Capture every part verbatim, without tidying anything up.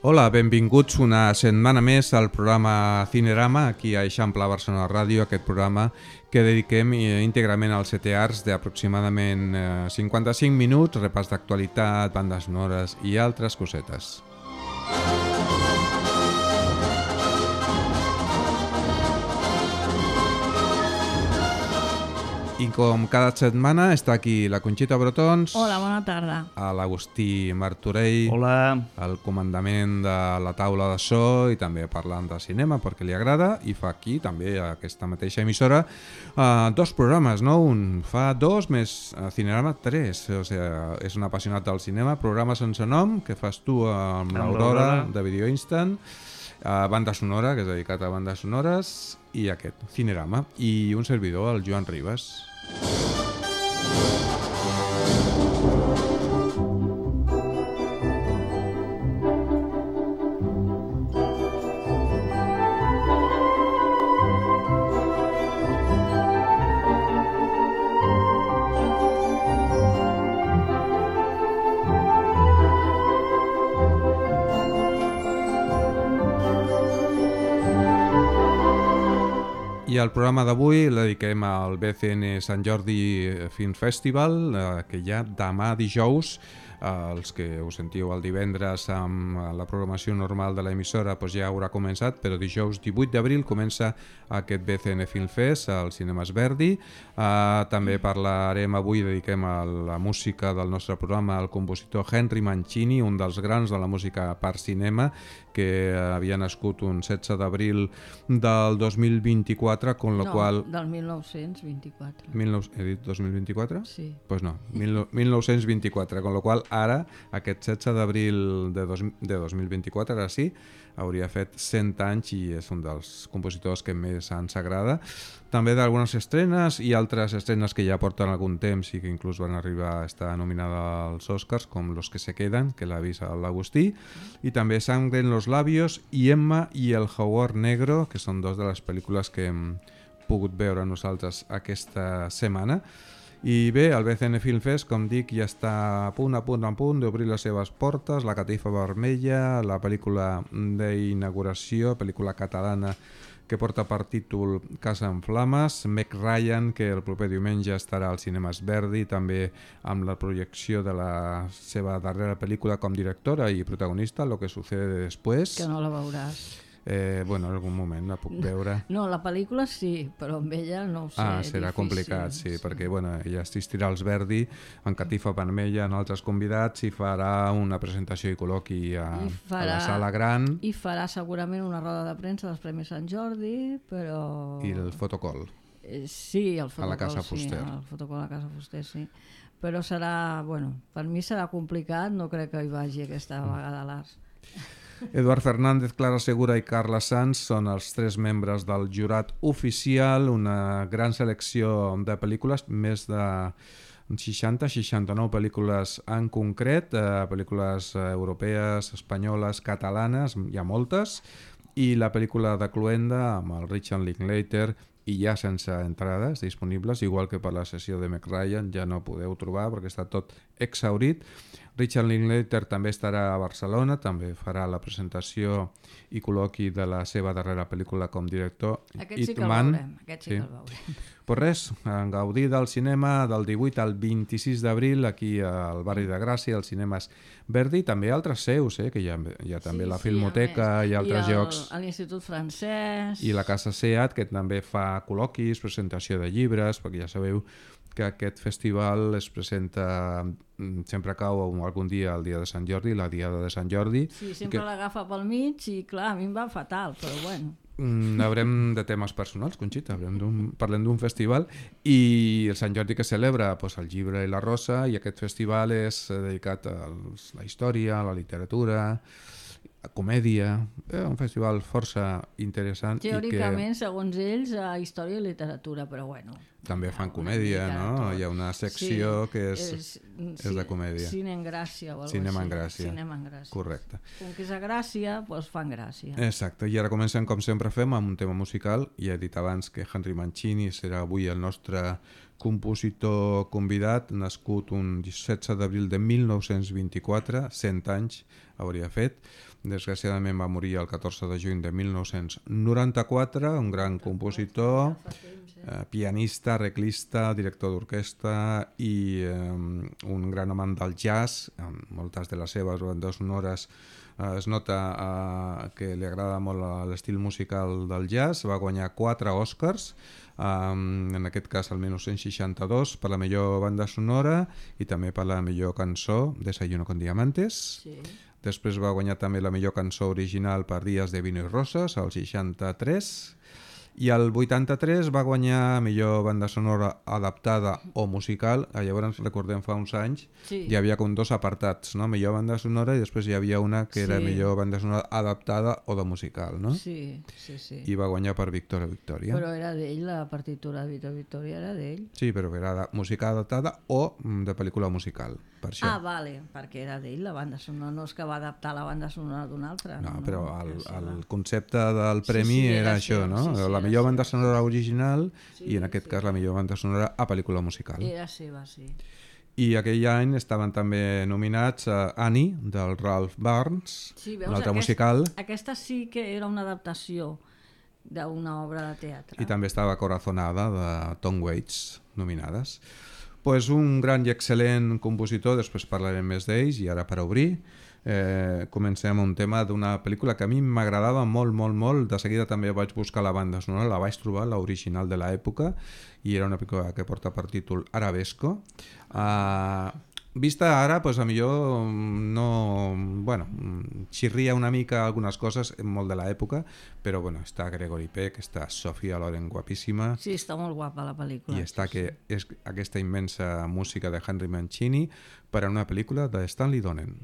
Hola, benvinguts una setmana més al programa Cinerama, aquí a Eixample Barcelona Ràdio, aquest programa que dediquem íntegrament als sete arts d'aproximadament cinquanta-cinc minuts, repàs d'actualitat, bandes sonores i altres cosetes. I com cada setmana està aquí la Conxita Brotons. Hola, bona tarda. L'Agustí Martorell. Hola. El comandament de la taula de so i també parlant de cinema perquè li agrada i fa aquí també aquesta mateixa emissora uh, dos programes, no? Un fa dos més uh, Cinerama tres, o sigui, és un apassionat del cinema, programa sense nom que fas tu amb, amb l'Aurora de Video Instant, uh, banda sonora, que és dedicat a bandes sonores, i aquest, Cinerama, i un servidor, el Joan Ribas. I el programa d'avui el dediquem al B C N Sant Jordi Film Festival, eh, que ja demà dijous, eh, els que us sentiu el divendres amb la programació normal de l'emissora doncs ja haurà començat, però dijous divuit d'abril comença aquest B C N Film Fest al Cinemes Verdi. Eh, també parlarem avui, dediquem a la música del nostre programa al compositor Henry Mancini, un dels grans de la música per cinema, que havia nascut un setze d'abril del dos mil vint-i-quatre, con lo no, qual... del mil nou-cents vint-i-quatre. dinou... He dit dos mil vint-i-quatre? Sí. Doncs pues no, mil nou-cents vint-i-quatre, con lo qual ara, aquest setze d'abril de, dos, de dos mil vint-i-quatre, ara sí, hauria fet cent anys i és un dels compositors que més ens agrada. També d'algunes estrenes i altres estrenes que ja porten algun temps i que inclús van arribar a estar nominada als Oscars, com Los que se quedan, que l'ha vist l'Agustí, i també Sangre en los labios i Emma i el jaguar negro, que són dos de les pel·lícules que hem pogut veure nosaltres aquesta setmana. I bé, el B C N Film Fest, com dic, ja està a punt, a punt, a punt d'obrir les seves portes, La catifa vermella, la pel·lícula d'inauguració, pel·lícula catalana que porta per títol Casa en flames, Meg Ryan, que el proper diumenge estarà als Cinemes Verdi, també amb la projecció de la seva darrera pel·lícula com directora i protagonista, Lo que sucede después. Que no la veuràs. Eh, bueno, en algun moment la puc veure. No, la pel·lícula sí, però amb ella no ho sé. Ah, serà difícil, complicat, sí, sí, perquè bueno, ella assistirà als Verdi, en catifa vermella, en altres convidats, i farà una presentació i col·loqui a, farà, a la sala gran. I farà segurament una roda de premsa dels Premis Sant Jordi, però... I el fotocol. Eh, sí, el fotocol, a la Casa sí, Fuster. el fotocol a la Casa Fuster, sí. Però serà, bueno, per mi serà complicat, no crec que hi vagi aquesta vegada a l'Arts. Eduard Fernández, Clara Segura i Carla Sanz són els tres membres del jurat oficial, una gran selecció de pel·lícules, més de seixanta seixanta-nou pel·lícules en concret, eh, pel·lícules europees, espanyoles, catalanes, hi ha moltes, i la pel·lícula de Cluenda amb el Richard Linklater, i ja sense entrades disponibles, igual que per la sessió de Meg Ryan, ja no podeu trobar perquè està tot exhaurit. Richard Linklater també estarà a Barcelona, també farà la presentació i col·loqui de la seva darrera pel·lícula com director. Aquest sí que el veurem, aquest sí, sí que el veurem. Pues res, en gaudir del cinema del divuit al vint-i-sis d'abril aquí al barri de Gràcia, als Cinemes Verdi, també altres seus, eh, que hi ha, hi ha també sí, la Filmoteca i altres I el, llocs. I l'Institut Francès. I la Casa SEAT, que també fa col·loquis, presentació de llibres, perquè ja sabeu que aquest festival es presenta, sempre cau algun dia el dia de Sant Jordi, la diada de Sant Jordi. Sí, sempre que... l'agafa pel mig i clar, a mi em va fatal, però bueno. Mm, haurem de temes personals, Conxita, d'un, parlem d'un festival i el Sant Jordi que celebra pues, el llibre i la rosa, i aquest festival és dedicat a la història, a la literatura, a comèdia, eh, un festival força interessant. Teòricament, i que... segons ells, a història i literatura, però bueno. També fan comèdia, no? Hi ha una secció sí, que és, és, és de comèdia. Cine en Gràcia o alguna cosa Cinema en Gràcia. Cinema en Gràcia. Correcte. Com que és a Gràcia, doncs fan gràcia. Exacte, i ara comencem com sempre fem amb un tema musical. Ja he dit abans que Henry Mancini serà avui el nostre compositor convidat, nascut un setze d'abril de mil nou-cents vint-i-quatre, cent anys hauria fet. Desgraciadament va morir el catorze de juny de mil nou-cents noranta-quatre, un gran compositor, eh, pianista, arreglista, director d'orquestra i eh, un gran amant del jazz. En moltes de les seves bandes sonores eh, es nota eh, que li agrada molt l'estil musical del jazz. Va guanyar quatre Oscars, Um, en aquest cas el mil nou-cents seixanta-dos per la millor banda sonora i també per la millor cançó Desayuno con Diamantes. Sí. Després va guanyar també la millor cançó original per Días de Vino y Rosas, al seixanta-tres, i al vuitanta-tres va guanyar millor banda sonora adaptada o musical. Llavors recordem fa uns anys Sí. hi havia com dos apartats, no? Millor banda sonora i després hi havia una que era Sí. millor banda sonora adaptada o de musical, no? Sí, sí, sí. I va guanyar per Victoria Victoria. Però era d'ell, la partitura de Vito Victoria era d'ell. Sí, però era de música adaptada o mm, de pel·lícula musical, per això. Ah, vale, perquè era d'ell la banda sonora, no és que va adaptar la banda sonora d'una altra. No, però el, era seva. el concepte del Sí, premi sí, era, era això, seu, no? sí, sí, la era millor seu, banda sí, sonora original Sí, i en aquest sí. cas la millor banda sonora a pel·lícula musical. Era seva, sí. I aquell any estaven també nominats a Annie, del Ralph Burns, Sí, veus, un altre aquest- musical, Aquesta sí que era una adaptació d'una obra de teatre. i també estava Corazonada, de Tom Waits, nominades. Pues un gran i excel·lent compositor, després parlarem més d'ells, i ara per obrir eh, comencem amb un tema d'una pel·lícula que a mi m'agradava molt, molt, molt. De seguida també vaig buscar la banda sonora, la vaig trobar, l'original de l'època, i era una pel·lícula que porta per títol Arabesco. Uh, vista ara, pues, a millor no... Bueno, xirria una mica algunes coses, molt de l'època, però bueno, està Gregory Peck, està Sophia Loren guapíssima, Sí, està molt guapa la pel·lícula. i està sí, que és aquesta immensa música de Henry Mancini per a una pel·lícula de Stanley Donen.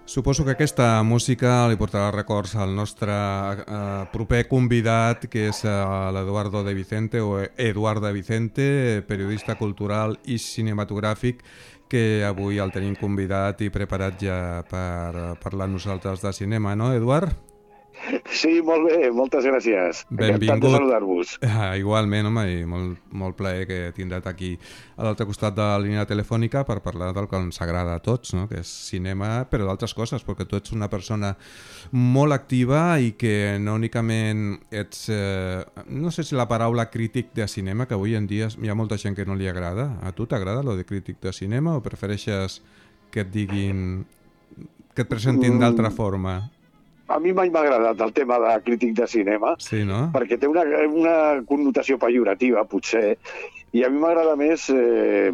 Suposo que aquesta música li portarà records al nostre eh, proper convidat, que és eh, l'Eduardo de Vicente, o Eduard de Vicente, periodista cultural i cinematogràfic, que avui el tenim convidat i preparat ja per parlar nosaltres de cinema, no, Eduard? Sí, molt bé, moltes gràcies. Benvingut. Encantat de saludar-vos. Ah, igualment, home, i molt, molt plaer que tindràs aquí a l'altre costat de la línia telefònica per parlar del que ens agrada a tots, no? Que és cinema, però d'altres coses, perquè tu ets una persona molt activa i que no únicament ets, eh, no sé si la paraula crític de cinema, que avui en dia hi ha molta gent que no li agrada. A tu t'agrada lo de crític de cinema o prefereixes que et diguin, que et presentin d'altra forma? A mi mai m'ha agradat el tema de crític de cinema, sí, no? Perquè té una, una connotació pejorativa, potser, i a mi m'agrada més eh,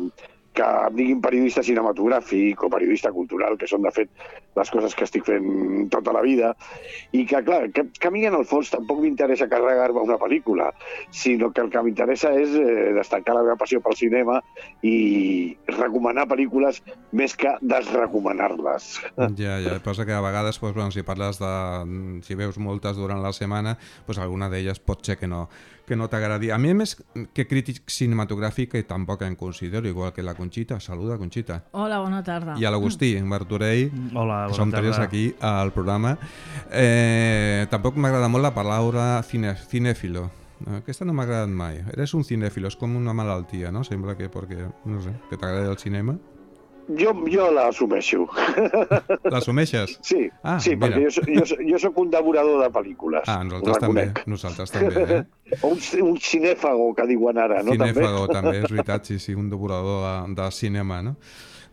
que em diguin periodista cinematogràfic o periodista cultural, que són, de fet, les coses que estic fent tota la vida, i que, clar, que, que a mi en el fons tampoc m'interessa carregar-me una pel·lícula, sinó que el que m'interessa és eh, destacar la meva passió pel cinema i recomanar pel·lícules més que desrecomanar-les. Ja, ja, passa que a vegades, doncs, bueno, si parles de... si veus moltes durant la setmana, doncs alguna d'elles pot ser que no, que no t'agradi. A mi, més que crític cinematogràfic, que tampoc em considero, igual que la Conxita. Saluda, Conxita. Hola, bona tarda. I a l'Agustí, en Martorell, Hola, que som tres aquí al programa. Eh, tampoc m'agrada molt la paraula cine, cinéfilo. Aquesta no m'ha agradat mai. Eres un cinéfilo, és com una malaltia, no? Sembla que perquè, no sé, que t'agrada el cinema. Jo, jo l'assumeixo. L'assumeixes? Sí, ah, sí, mira. perquè jo, jo, jo soc un devorador de pel·lícules. Ah, nosaltres també, nosaltres també, eh? O un, un cinèfago, que diuen ara, no? Cinèfago també, també, és veritat, sí, sí, un devorador de, de cinema, no?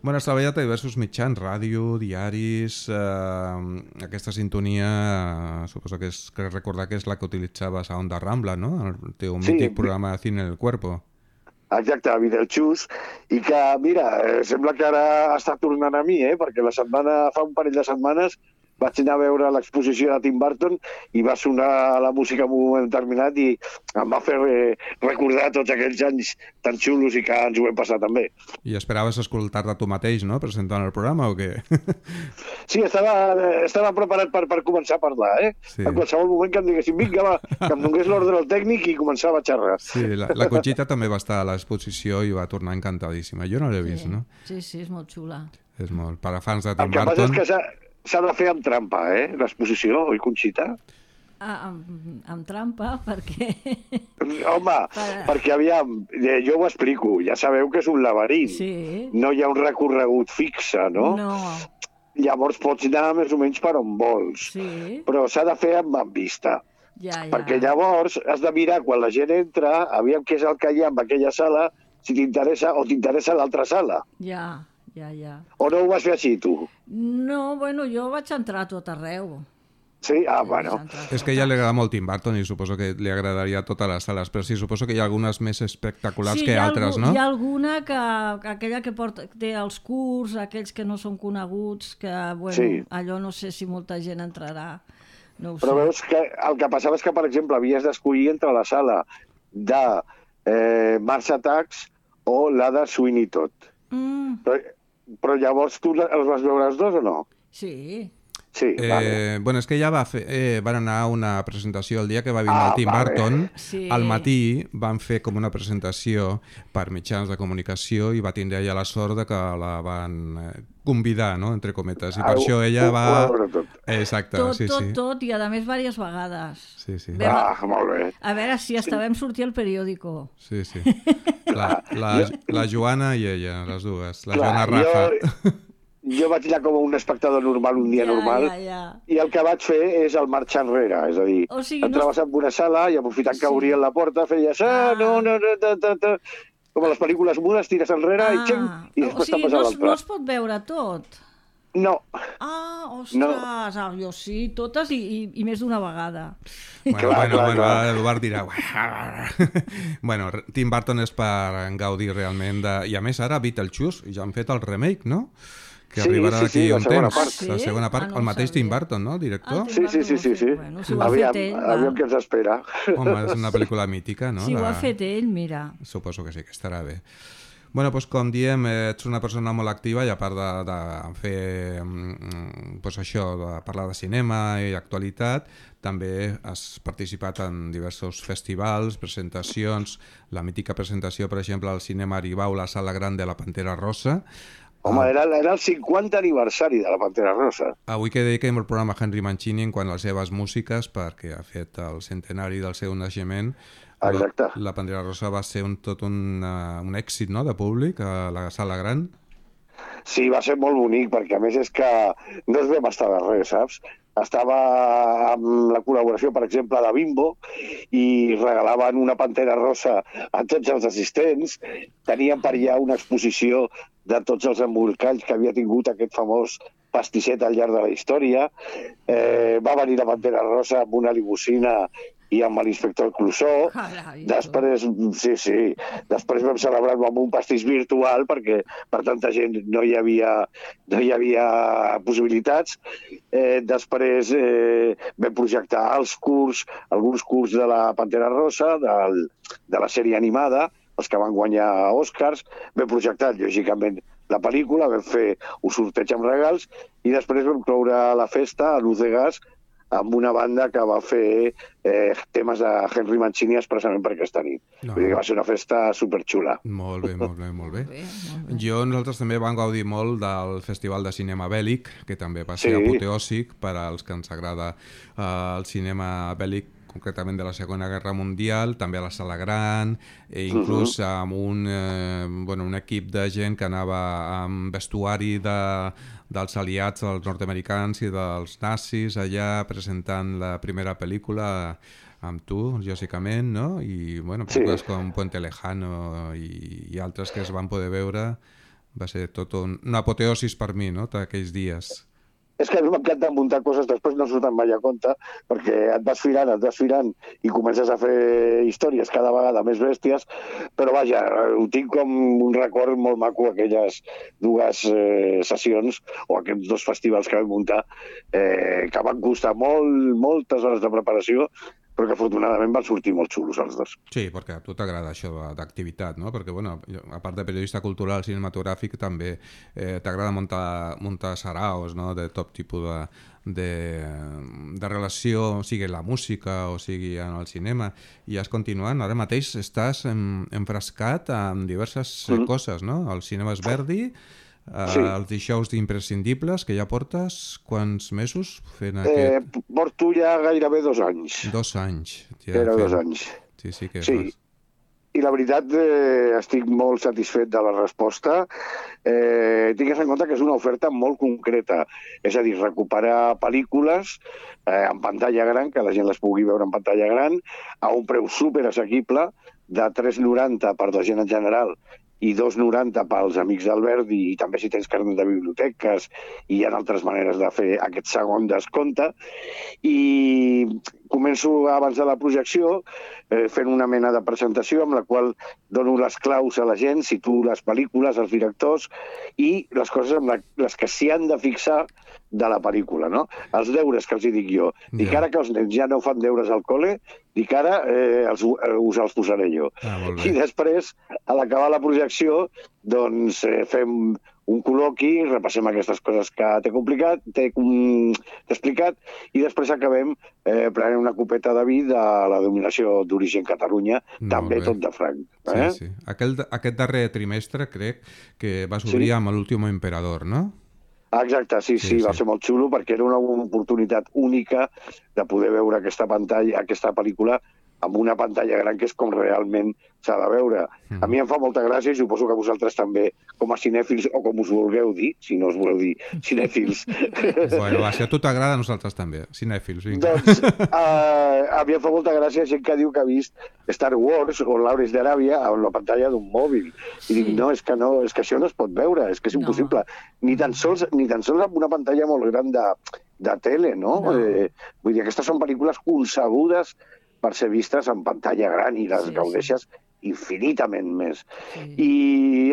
Bueno, has treballat a diversos mitjans, ràdio, diaris, eh, aquesta sintonia, eh, suposo que és que recordar que és la que utilitzaves a Onda Rambla, no? El teu Sí. mític programa de Cine en el Cuerpo. Exacte, Videoxús, i que, mira, eh, sembla que ara està tornant a mi, eh? Perquè la setmana, fa un parell de setmanes vaig anar a veure l'exposició de Tim Burton i va sonar la música en un moment determinat i em va fer eh, recordar tots aquells anys tan xulos i que ens ho hem passat també. I esperaves escoltar-te tu mateix, no?, presentant el programa o què? Sí, estava, estava preparat per, per començar a parlar, eh? Sí. En qualsevol moment que em diguessin, vinga, va, que em donés l'ordre al tècnic i començava a xerrar. Sí, la, la Conxita també va estar a l'exposició i va tornar encantadíssima. Jo no l'he vist, sí. no? Sí, sí, és molt xula. És molt... Per a fans de El Tim que passa Burton... és que s'ha s'ha de fer amb trampa, eh, l'exposició, oi, Conxita? Ah, amb, amb trampa, perquè... Home, Per... perquè aviam, eh, jo ho explico, ja sabeu que és un laberint. Sí. No hi ha un recorregut fixe, no? No. Llavors pots anar més o menys per on vols. Sí. Però s'ha de fer amb, amb vista. Ja, ja. Perquè llavors has de mirar quan la gent entra, aviam què és el que hi ha en aquella sala, si t'interessa o t'interessa l'altra sala. Ja, ja, ja. O no ho vas fer així, tu? No, bueno, jo vaig entrar a tot arreu. Sí? Ah, bueno. És que a ella li agrada molt Tim Burton i suposo que li agradaria a totes les sales, però sí, suposo que hi ha algunes més espectaculars sí, que hi ha altres, algú, no? Hi ha alguna que, aquella que porta, té els curts, aquells que no són coneguts, que, bueno, Sí. allò no sé si molta gent entrarà, no ho Però sé. veus que el que passava és que, per exemple, havies d'escollir entre la sala de eh, Mars Attacks o la de Sweeney Todd. Mm, Però, però llavors tu els vas veure els dos o no? sí, Sí, Eh, vale. bueno, és que ja va fer, eh, van anar a una presentació el dia que va vindre Ah, el Tim vale. Burton. Sí. Al matí van fer com una presentació per mitjans de comunicació i va tindre ella la sort de que la van eh, convidar, no?, entre cometes. I per Ah, això ella ho- va... ho va veure tot. Exacte, tot, sí, tot, sí. tot, i a més diverses vegades. Sí, sí. Vam- Ah, molt bé. A veure si hasta vam sortir al periòdico. Sí, sí. La, la, la Joana i ella, les dues. La Joana Clar, Rafa. jo, jo vaig anar com un espectador normal un dia Ja, normal ja, ja. i el que vaig fer és el marxar enrere, és a dir, O sigui, no- entraves en una sala i aprofitant que Sí. obrien la porta feies ah, Ah. no, no, no, ta, ta, ta. Com a les pel·lícules mudes, tires enrere i xing, i o després sigui, te'n vas a no, es- l'altra. no es pot veure tot. No, Ah, ostres, No. ah, jo sí, totes i, i, i més d'una vegada. Bueno, Clar, bueno, clar, bueno, clar. ara l'Eduard dirà... bueno, Tim Burton és per gaudir realment de... I a més ara Beetlejuice, ja han fet el remake, no? Que Sí, arribarà sí, d'aquí sí, la un segona temps. part. Ah, sí? La segona part, Ah, no el ho mateix Tim sabia. Burton, no? El director? Ah, sí, sí, sí, sí, sí. Bueno, si ho ha aviam, fet ell, va. aviam què ens espera. Home, és una pel·lícula mítica, no? Si ho La- ha fet ell, mira. Suposo que sí, que estarà bé. Bueno, doncs com diem, ets una persona molt activa i a part de, de fer pues això, de parlar de cinema i actualitat, també has participat en diversos festivals, presentacions, la mítica presentació, per exemple, al Cinema Aribau, la Sala Gran de la Pantera Rosa. Home, era, era el cinquanta aniversari de la Pantera Rosa. Avui que dediquem el programa a Henry Mancini en quant a les seves músiques, perquè ha fet el centenari del seu naixement. Exacte. La, la Pantera Rosa va ser un, tot un, uh, un èxit, no?, de públic a la Sala Gran. Sí, va ser molt bonic, perquè a més és que no es vam estar de res, saps? Estava amb la col·laboració, per exemple, de Bimbo, i regalaven una Pantera Rosa a tots els assistents. Tenien per allà una exposició de tots els embolcalls que havia tingut aquest famós pastisset al llarg de la història. Eh, va venir la Pantera Rosa amb una limusina i amb l'inspector Clouseau. Carai, després, sí, sí, després vam celebrar-ho amb un pastís virtual perquè per tanta gent no hi havia, no hi havia possibilitats. Eh, després eh, vam projectar els curs, alguns curs de la Pantera Rosa, del, de la sèrie animada, els que van guanyar Oscars. Vam projectar, lògicament, la pel·lícula, vam fer un sorteig amb regals i després vam cloure la festa a Luz de Gas amb una banda que va fer eh, temes de Henry Mancini expressament per aquesta nit. No. Vull dir que va ser una festa superxula. Molt bé, molt bé, molt bé. Molt bé, molt bé. Jo, nosaltres també vam gaudir molt del Festival de Cinema Bèl·lic, que també va ser Sí. apoteòsic per als que ens agrada eh, el cinema bèl·lic, concretament de la Segona Guerra Mundial, també a la Sala Gran, i inclús uh -huh. amb un, eh, bueno, un equip de gent que anava amb vestuari de, dels aliats, dels nord-americans i dels nazis, allà presentant la primera pel·lícula amb tu, lògicament, no? I, bueno, pel·lícules sí. com Puente Lejano i, i altres que es van poder veure. Va ser tot un, una apoteosis per mi, no?, d'aquells dies. És que a mi m'encanta muntar coses, després no surten mai a compte, perquè et vas firant, et vas firant i comences a fer històries cada vegada més bèsties, però vaja, ho tinc com un record molt maco, aquelles dues eh, sessions o aquests dos festivals que vam muntar, eh, que van costar molt, moltes hores de preparació, però que afortunadament van sortir molt xulos els dos. Sí, perquè a tu t'agrada això d'activitat, no? Perquè, bueno, a part de periodista cultural cinematogràfic, també eh, t'agrada muntar, muntar saraos, no?, de tot tipus de, de, de relació, sigui la música o sigui en el cinema, i has continuat. Ara mateix estàs en, enfrascat en diverses mm. coses, no? El cinema és Verdi, Uh, sí. Els dijous d'imprescindibles, que ja portes quants mesos fent aquest... Eh, porto ja gairebé dos anys. Dos anys. Ja Era fent... dos anys. Sí, sí que sí. fas. I la veritat, eh, estic molt satisfet de la resposta. Eh, tingues en compte que és una oferta molt concreta. És a dir, recuperar pel·lícules eh, en pantalla gran, que la gent les pugui veure en pantalla gran, a un preu superassequible, de tres noranta per la gent en general i dos noranta pels amics del Verdi, i també si tens carnet de biblioteques, i hi ha altres maneres de fer aquest segon descompte. I començo abans de la projecció eh, fent una mena de presentació amb la qual dono les claus a la gent, situo les pel·lícules, els directors i les coses amb la, les que s'hi han de fixar de la pel·lícula, no? Els deures que els hi dic jo. Dic yeah. ara que els nens ja no fan deures al col·le, dic ara eh, els, eh, us els posaré jo. Ah, I després, a l'acabar la projecció, doncs eh, fem un col·loqui, repassem aquestes coses que t'he complicat, t'he um, explicat, i després acabem eh, prenent una copeta de vi de la denominació d'origen Catalunya, molt també bé. Tot de franc. Eh? Sí, sí. Aquel, aquest darrer trimestre crec que vas obrir sí? amb l'Último Emperador, no? Exacte, sí, sí, sí, va sí. ser molt xulo perquè era una oportunitat única de poder veure aquesta pantalla, aquesta pel·lícula amb una pantalla gran, que és com realment s'ha de veure. Mm. A mi em fa molta gràcia, i suposo que vosaltres també, com a cinèfils, o com us vulgueu dir, si no us voleu dir cinèfils. Bueno, va, si a tu t'agrada, a nosaltres també, cinèfils. Vinga. Doncs uh, a mi em fa molta gràcia gent que diu que ha vist Star Wars o Lawrence d'Aràbia en la pantalla d'un mòbil. I dic, no, és que no, és que això no es pot veure, és que és impossible. No. Ni tan sols, ni tan sols amb una pantalla molt gran de, de tele, no? no. Eh, vull dir, aquestes són pel·lícules concebudes per ser vistes en pantalla gran i les sí, gaudeixes sí. infinitament més. Sí. I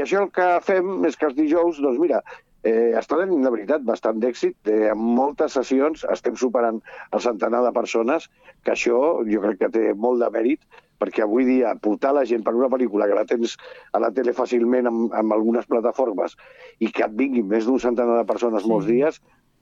això el que fem és que els dijous, doncs mira, Eh, està tenint, de veritat, bastant d'èxit. Eh, en moltes sessions estem superant el centenar de persones, que això jo crec que té molt de mèrit, perquè avui dia portar la gent per una pel·lícula que la tens a la tele fàcilment amb, amb algunes plataformes i que et vinguin més d'un centenar de persones sí. molts dies,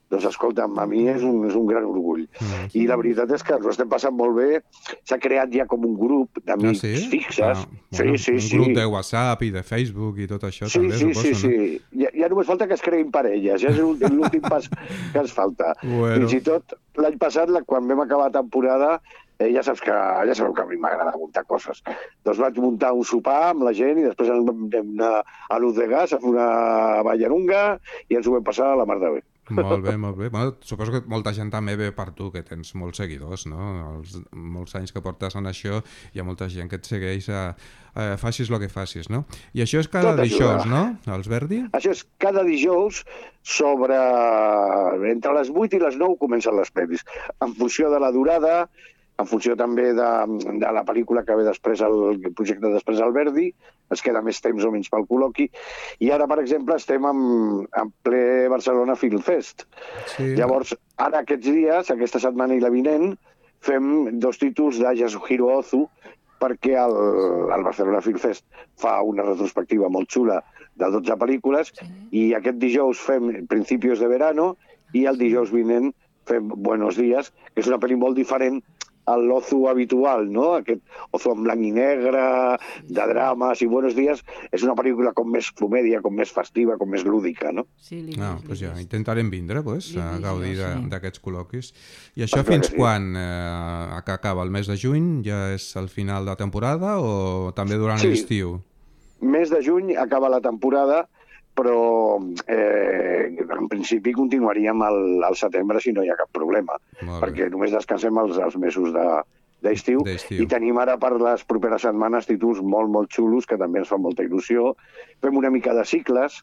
doncs escolta'm, a mi és un, és un gran orgull. Mm. I la veritat és que ens ho estem passant molt bé. S'ha creat ja com un grup d'amics ah, sí? fixes. Ah, bueno, sí, sí, un sí. grup de WhatsApp i de Facebook i tot això sí, també, sí, suposo, sí, sí. no? Sí, ja, ja només falta que es creïn parelles, ja és l'últim pas que ens falta. Bueno. Fins i tot l'any passat, quan vam acabar la temporada, Eh, ja saps que ja sabeu que a mi m'agrada muntar coses. Doncs vaig muntar un sopar amb la gent i després vam anar a Luz de Gas a fer una ballarunga i ens ho vam passar a la mar de bé. Molt bé, molt bé. Bueno, suposo que molta gent també ve per tu, que tens molts seguidors, no? Els, molts anys que portes en això, hi ha molta gent que et segueix a, a facis el que facis, no? I això és cada dijous, no, Els Verdi? Això és cada dijous sobre... Entre les vuit i les nou comencen les pel·lis. En funció de la durada, en funció també de, de la pel·lícula que ve després, el, el projecte després al Verdi, ens queda més temps o menys pel col·loqui, i ara, per exemple, estem en, en ple Barcelona Film Fest. Sí. Llavors, ara aquests dies, aquesta setmana i la vinent, fem dos títols de Yasuhiro Ozu, perquè el, el Barcelona Film Fest fa una retrospectiva molt xula de dotze pel·lícules, sí. I aquest dijous fem Principios de Verano, i el dijous vinent fem Buenos Días, que és una pel·li molt diferent al Ozu habitual, no? Aquest Ozu en blanc i negre, de drames i Buenos Días, és una pel·lícula com més comèdia, com més festiva, com més lúdica, no? Sí, li ah, doncs ja, intentarem vindre, pues, a gaudir sí. d'aquests col·loquis. I això fins sí. quan? Eh, que acaba el mes de juny? Ja és el final de la temporada o també durant sí. l'estiu? Mes de juny acaba la temporada, però eh, en principi continuaríem al, al setembre si no hi ha cap problema, perquè només descansem els, els mesos d'estiu de, i tenim ara per les properes setmanes títols molt, molt xulos que també ens fan molta il·lusió. Fem una mica de cicles,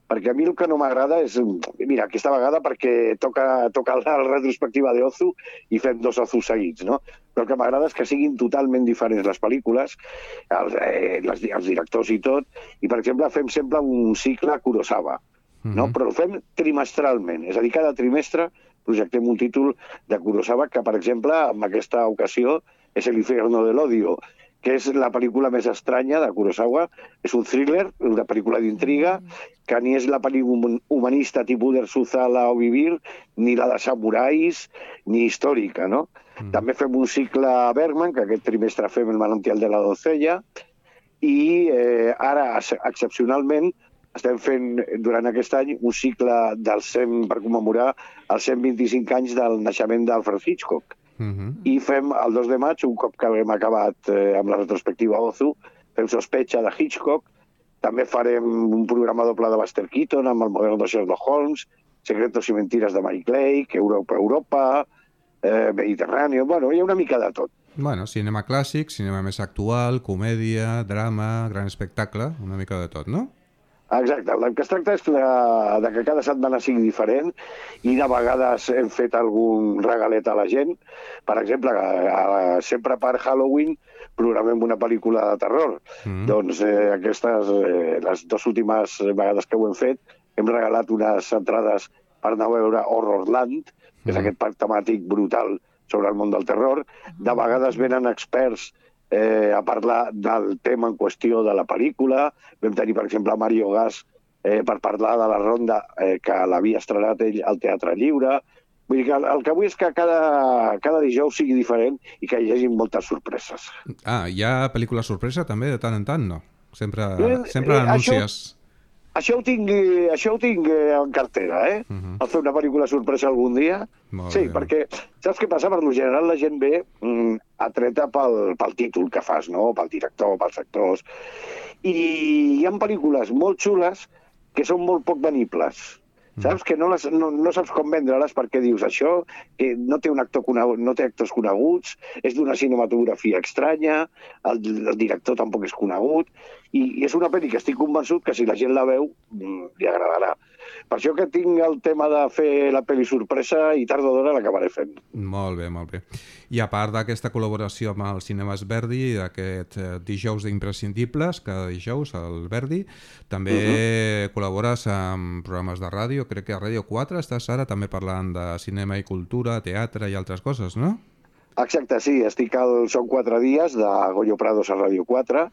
perquè a mi el que no m'agrada és... Mira, aquesta vegada perquè toca, toca la retrospectiva d'Ozu i fem dos Ozu seguits, no? Però el que m'agrada és que siguin totalment diferents les pel·lícules, els, eh, les, els directors i tot, i per exemple fem sempre un cicle Kurosawa, no? Mm-hmm. Però el fem trimestralment, és a dir, cada trimestre projectem un títol de Kurosawa que, per exemple, en aquesta ocasió és El infierno del odio, que és la pel·lícula més estranya de Kurosawa. És un thriller, una pel·lícula d'intriga, que ni és la pel·lícula humanista tipus d'Erzuzala o Vivir, ni la de samurais, ni històrica, no? Mm. També fem un cicle a Bergman, que aquest trimestre fem El manantial de la doncella, i eh, ara, excepcionalment, estem fent durant aquest any un cicle del cent, per commemorar els cent vint-i-cinc anys del naixement d'Alfred Hitchcock. Uh-huh. I fem el dos de maig, un cop que hem acabat eh, amb la retrospectiva Ozu, fem Sospecha de Hitchcock, també farem un programa doble de Buster Keaton amb el model de Sherlock Holmes, Secretos y mentiras de Mike Lake, Europa, Europa, eh, Mediterráneo, bueno, hi ha una mica de tot. Bueno, cinema clàssic, cinema més actual, comèdia, drama, gran espectacle, una mica de tot, no? Exacte, el que es tracta és de, de que cada setmana sigui diferent i de vegades hem fet algun regalet a la gent. Per exemple, a, a, sempre per Halloween programem una pel·lícula de terror. Mm. Doncs eh, aquestes, eh, les dues últimes vegades que ho hem fet, hem regalat unes entrades per anar a veure Horrorland, que és mm. aquest parc temàtic brutal sobre el món del terror. De vegades venen experts Eh, a parlar del tema en qüestió de la pel·lícula. Vam tenir, per exemple, a Mario Gas eh, per parlar de la ronda eh, que l'havia estrenat ell al Teatre Lliure. Vull dir que el, el que vull és que cada, cada dijous sigui diferent i que hi hagi moltes sorpreses. Ah, hi ha pel·lícula sorpresa també de tant en tant, no? Sempre, eh, sempre eh, anuncies... Això... Això ho tinc, això ho tinc en cartera, eh? Uh-huh. El fer una pel·lícula sorpresa algun dia. Molt sí, bé. Perquè saps què passa? Per lo general la gent ve mm, atreta pel, pel títol que fas, no? Pel director, pels actors. I hi ha pel·lícules molt xules que són molt poc venibles. Saps? Que no, les, no, no saps com vendre-les perquè dius això, que no té un actor conegut, no té actors coneguts, és d'una cinematografia estranya, el, el director tampoc és conegut, i, i és una pel·li que estic convençut que si la gent la veu li agradarà. Per això que tinc el tema de fer la pel·li sorpresa i tard o d'hora l'acabaré fent. Molt bé, molt bé. I a part d'aquesta col·laboració amb els cinemes Verdi i d'aquest eh, dijous d'imprescindibles, cada dijous al Verdi, també uh-huh. col·labores amb programes de ràdio, crec que a Ràdio quatre estàs ara també parlant de cinema i cultura, teatre i altres coses, no? Exacte, sí, estic al Són quatre dies de Goyo Prados a Ràdio quatre,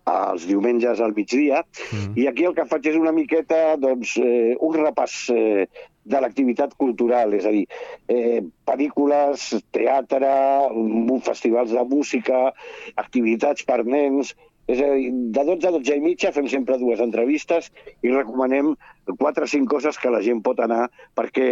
els diumenges al migdia, mm. i aquí el que faig és una miqueta, doncs, eh, un repàs eh, de l'activitat cultural, és a dir, eh, pel·lícules, teatre, festivals de música, activitats per nens. És a dir, de dotze a dotze i mitja fem sempre dues entrevistes i recomanem quatre o cinc coses que la gent pot anar, perquè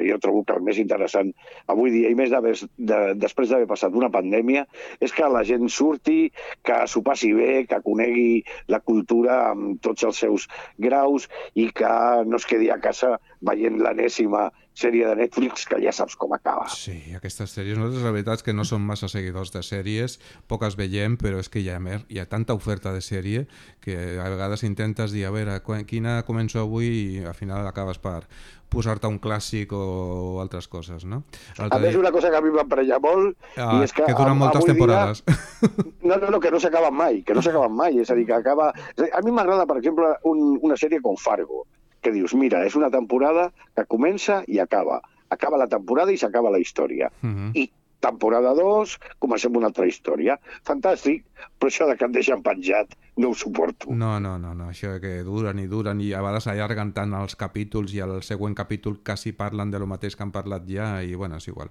jo trobo que el més interessant avui dia, i més de, de, després d'haver passat una pandèmia, és que la gent surti, que s'ho passi bé, que conegui la cultura amb tots els seus graus i que no es quedi a casa veient l'enèsima sèrie de Netflix, que ja saps com acaba. Sí, aquestes sèries, nosaltres la veritat és que no som massa seguidors de sèries, poques veiem, però és que hi ha, hi ha tanta oferta de sèrie que a vegades intentes dir, a veure, quina començo avui, i al final acabes per posar-te un clàssic o altres coses, no? A més, una cosa que a mi m'emprenya molt, ah, i és que... Que duren moltes temporades. Dia... No, no, no, que no s'acaben mai, que no s'acaben mai, és a dir, que acaba... A mi m'agrada, per exemple, un, una sèrie com Fargo, que dius, mira, és una temporada que comença i acaba. Acaba la temporada i s'acaba la història. Uh-huh. I temporada dos, comencem una altra història. Fantàstic, però això de que et deixen penjat no ho suporto. No, no, no, no. Això que duren i duren i a vegades allarguen tant els capítols i el següent capítol quasi parlen de lo mateix que han parlat ja i, bueno, és igual.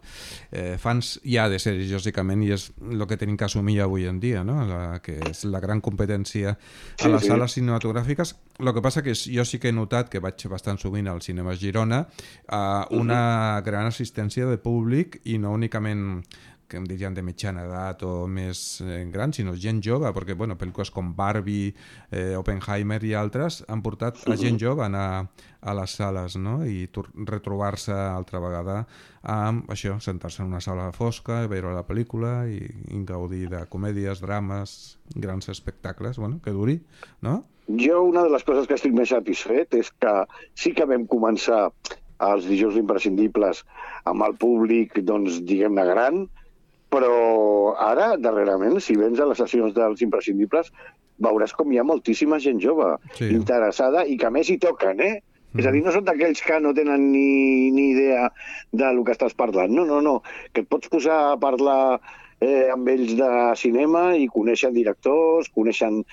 Eh, fans hi ha de sèries, lògicament, i és el que tenim que assumir avui en dia, no? La, que és la gran competència a les sí, sí. sales cinematogràfiques. El que passa que jo sí que he notat, que vaig bastant sovint al cinema Girona, eh, una uh-huh. gran assistència de públic i no únicament que em dirien de mitjana edat o més eh, gran, sinó gent jove, perquè bueno, pel·lícules com Barbie, eh, Oppenheimer i altres han portat a gent jove a anar a les sales, no? I retrobar-se altra vegada amb això, sentar-se en una sala fosca, veure la pel·lícula i, i gaudir de comèdies, drames, grans espectacles, bueno, que duri, no? Jo una de les coses que estic més satisfet és que sí que vam començar els dijous imprescindibles amb el públic, doncs, diguem-ne, gran, però ara, darrerament, si vens a les sessions dels imprescindibles, veuràs com hi ha moltíssima gent jove sí. interessada i que a més hi toquen, eh? Mm. És a dir, no són d'aquells que no tenen ni, ni idea del que estàs parlant. No, no, no, que et pots posar a parlar eh, amb ells de cinema i coneixen directors, coneixen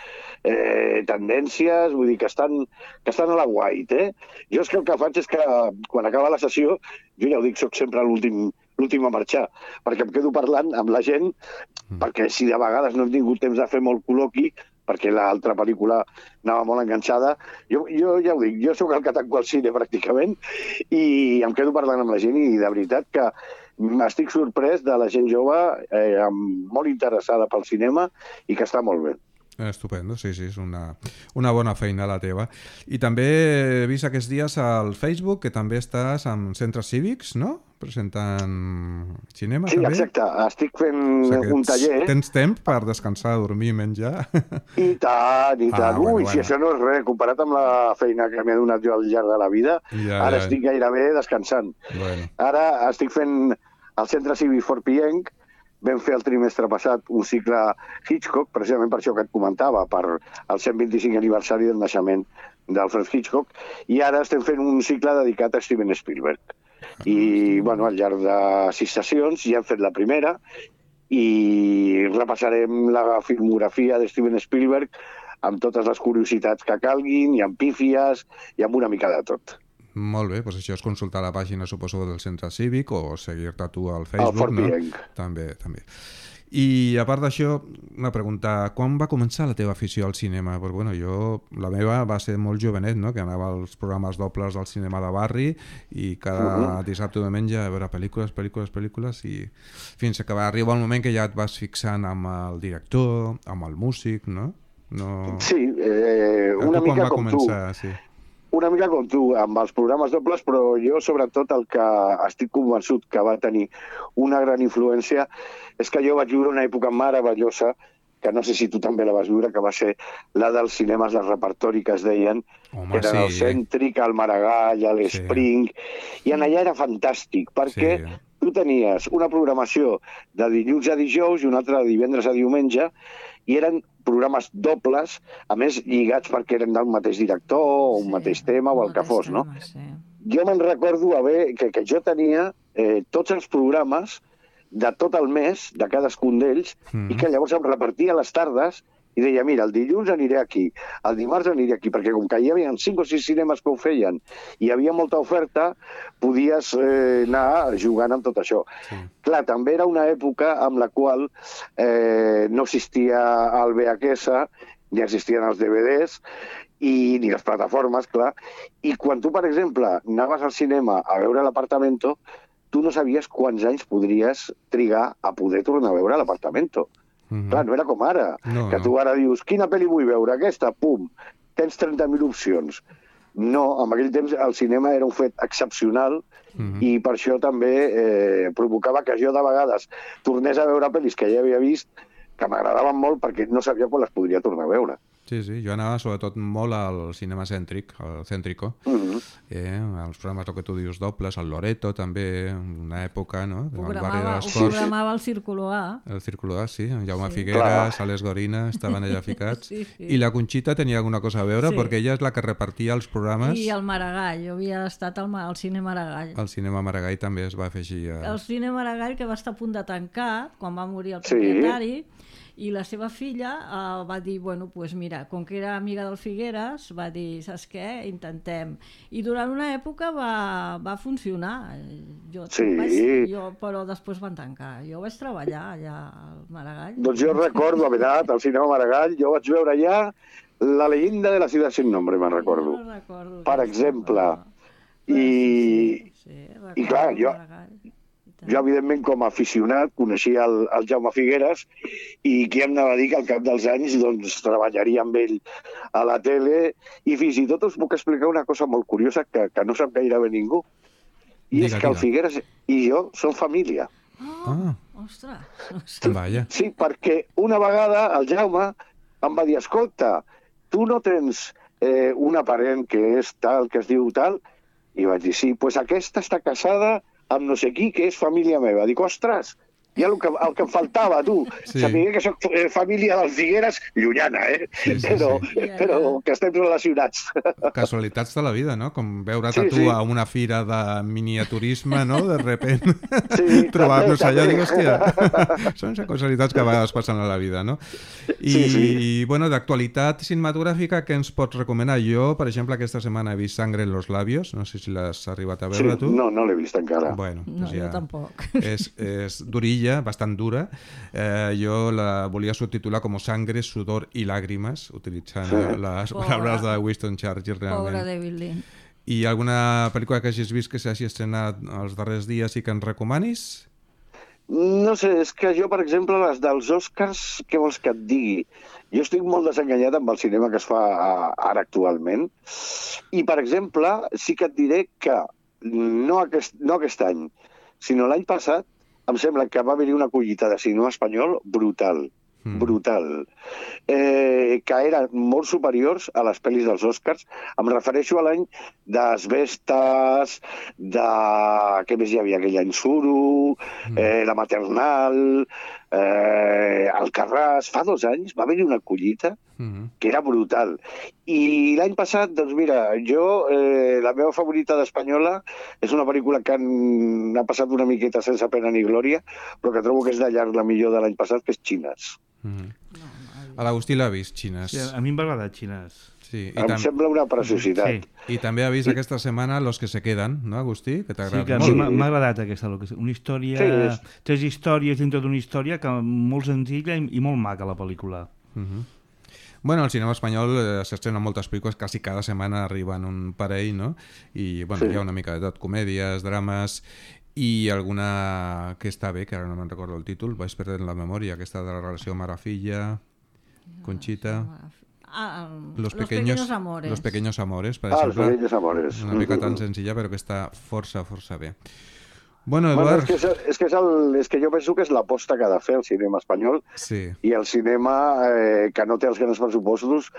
eh, tendències, vull dir que estan, que estan a la guait, eh? Jo és que el que faig és que quan acaba la sessió, jo ja ho dic, soc sempre l'últim l'últim a marxar, perquè em quedo parlant amb la gent, mm. perquè si de vegades no hem tingut temps de fer molt col·loqui, perquè l'altra pel·lícula anava molt enganxada, jo, jo ja ho dic, jo sóc el que tanco al cine pràcticament, i em quedo parlant amb la gent, i de veritat que m'estic sorprès de la gent jove, eh, molt interessada pel cinema, i que està molt bé. Estupendo, sí, sí, és una, una bona feina la teva. I també he vist aquests dies al Facebook que també estàs amb centres cívics, no? Presentant cinema, sí, també. Sí, exacte. Estic fent o sigui, un taller. Tens temps per descansar, dormir, menjar? I tant, i tant. Ah, bueno, Ui, bueno. Si això no és res, comparat amb la feina que m'he donat jo al llarg de la vida, ja, ara ja. estic gairebé descansant. Bueno. Ara estic fent al centre cívic Fort Pienc. Vam fer el trimestre passat un cicle Hitchcock, precisament per això que et comentava, per el cent vint-i-cinc aniversari del naixement d'Alfred Hitchcock, i ara estem fent un cicle dedicat a Steven Spielberg. I, bueno, al llarg de sis sessions ja hem fet la primera i repassarem la filmografia de Steven Spielberg amb totes les curiositats que calguin, i amb pífies, i amb una mica de tot. Molt bé, doncs això és consultar la pàgina, suposo, del centre cívic o seguir-te tu al Facebook, no? També, també. I a part d'això, una pregunta, quan va començar la teva afició al cinema? Perquè, bueno, jo, la meva va ser molt jovenet, no? Que anava als programes dobles del cinema de barri i cada uh-huh. dissabte o diumenge a veure pel·lícules, pel·lícules, pel·lícules, i fins que va arribar el moment que ja et vas fixant amb el director, amb el músic, no? no... Sí, eh, una mica com començar, tu. Sí. Una mica com tu, amb els programes dobles, però jo sobretot el que estic convençut que va tenir una gran influència és que jo vaig viure una època meravellosa que no sé si tu també la vas viure, que va ser la dels cinemes de repertori que es deien, Home, que eren sí. el Cèntric, el Maragall, l'Spring, sí. I en allà era fantàstic, perquè sí. tu tenies una programació de dilluns a dijous i una altra de divendres a diumenge, i eren programes dobles, a més lligats perquè eren del mateix director, o un sí, mateix tema, o el que fos, tema, no? Sí. Jo me'n recordo haver, que, que jo tenia eh, tots els programes de tot el mes, de cadascun d'ells, mm. i que llavors em repartia les tardes i deia, mira, el dilluns aniré aquí, el dimarts aniré aquí, perquè com que hi havia cinc o sis cinemes que ho feien i hi havia molta oferta, podies eh, anar jugant amb tot això. Sí. Clar, també era una època amb la qual eh, no existia el V H S, ni existien els D V Ds, i ni les plataformes, clar. I quan tu, per exemple, anaves al cinema a veure l'Apartamento, tu no sabies quants anys podries trigar a poder tornar a veure l'Apartamento. Mm-hmm. Clar, no era com ara, no, que tu ara dius, quina pel·li vull veure? Aquesta, pum, tens trenta mil opcions. No, en aquell temps el cinema era un fet excepcional mm-hmm. i per això també eh, provocava que jo de vegades tornés a veure pel·lis que ja havia vist, que m'agradaven molt perquè no sabia quan les podria tornar a veure. Sí, sí, jo anava sobretot molt al cinema cèntric, al Cèntrico, mm-hmm. eh, els programes, el que tu dius, dobles, el Loreto també, una època, no? Programava, ho programava el Círculo A. El Círculo A, sí, en Jaume sí. Figueras, Alex Gorina, estaven allà ficats. Sí, sí. I la Conxita tenia alguna cosa a veure, sí. perquè ella és la que repartia els programes. I el Maragall, jo havia estat al, al Cine Maragall. El Cinema Maragall també es va afegir a... El Cine Maragall, que va estar a punt de tancar, quan va morir el propietari, sí. I la seva filla uh, va dir, bueno, pues mira, com que era amiga del Figueras, va dir, saps què, intentem. I durant una època va, va funcionar. Jo, sí. vaig, jo, però després van tancar. Jo vaig treballar allà al Maragall. Doncs jo recordo haver anat al cinema Maragall, jo vaig veure allà La leyenda de la ciudad sin nombre, me'n recordo. No recordo. Per exemple. I, sí, sí, i clar, jo... Jo, evidentment, com a aficionat, coneixia el, el Jaume Figueras i qui em anava a dir que al cap dels anys doncs, treballaria amb ell a la tele i fins i tot us puc explicar una cosa molt curiosa que, que no sap gairebé ningú. I diga, és que diga. El Figueras i jo som família. Oh, ah, ostres. ostres. Vaya. Sí, perquè una vegada el Jaume em va dir, escolta, tu no tens eh, una parent que és tal, que es diu tal? I vaig dir, sí, doncs aquesta està casada amb no sé qui, que és família meva. Dic, ostres, ja el que, el que em faltava, tu. Sí. Sabia que soc eh, família dels Figueres, llunyana, eh? Sí, sí, però, sí. però que estem relacionats. Casualitats de la vida, no? Com veure't sí, a tu sí. a una fira de miniaturisme, no? De repent, sí, trobar-nos allà, dic, hòstia, són casualitats que a vegades passen a la vida, no? I, sí, sí. i bueno, d'actualitat cinematogràfica, què ens pots recomanar? Jo, per exemple, aquesta setmana he vist Sangre en los labios, no sé si l'has arribat a veure, sí, tu. No, no l'he vist encara. Bueno, no, doncs ja jo tampoc. És, és durilla, bastant dura. Eh, jo la volia subtitular com Sangre, sudor i làgrimes, utilitzant sí. les Pobre. paraules de Winston Churchill, realment. Pobre David Lean. I alguna pel·lícula que hagis vist que s'hagi estrenat els darrers dies i que ens recomanis? No sé, és que jo, per exemple, les dels Oscars, què vols que et digui? Jo estic molt desenganyat amb el cinema que es fa ara actualment. I, per exemple, sí que et diré que no aquest, no aquest any, sinó l'any passat, em sembla que va haver-hi una collita de cinema espanyol brutal, mm. brutal, eh, que eren molt superiors a les pel·lis dels Oscars. Em refereixo a l'any d'Asbestes, de... què més hi havia aquell any? Suro, mm. eh, La Maternal, eh, Alcarràs. Fa dos anys va haver-hi una collita mm. que era brutal. I l'any passat, doncs mira, jo, eh, la meva favorita d'espanyola és una pel·lícula que han, ha passat una miqueta sense pena ni glòria, però que trobo que és de llarg la millor de l'any passat, que és Xines. Mm. A l'Agustí l'ha vist, Xines. Sí, a mi em va agradar Xines. Sí, i em tam... sembla una preciositat. Sí. I també ha vist I... aquesta setmana Los que se queden, no, Agustí? Que t'ha agradat sí, que molt. M'ha agradat aquesta. Una història... Sí, és... Tres històries dintre d'una història que molt senzilla i, i molt maca, la pel·lícula. Uh-huh. Bueno, al cinema espanyol eh, s'estrenen moltes pel·lícules, quasi cada setmana arriben un parell, no? I bueno, sí. hi ha una mica de tot, comèdies, drames, i alguna que està bé, que ara no me'n recordo el títol, vaig perdent la memòria, aquesta de la relació mare-filla, Conxita... Ah, los, los pequeños, pequeños amores. Los pequeños amores, per ah, exemple. Los pequeños amores. Una mica tan senzilla, però que està força, força bé. Bueno, Eduard... Bueno, és, que és, és, que és, el, és que jo penso que és l'aposta que ha de fer el cinema espanyol sí. i el cinema eh, que no té els grans pressupostos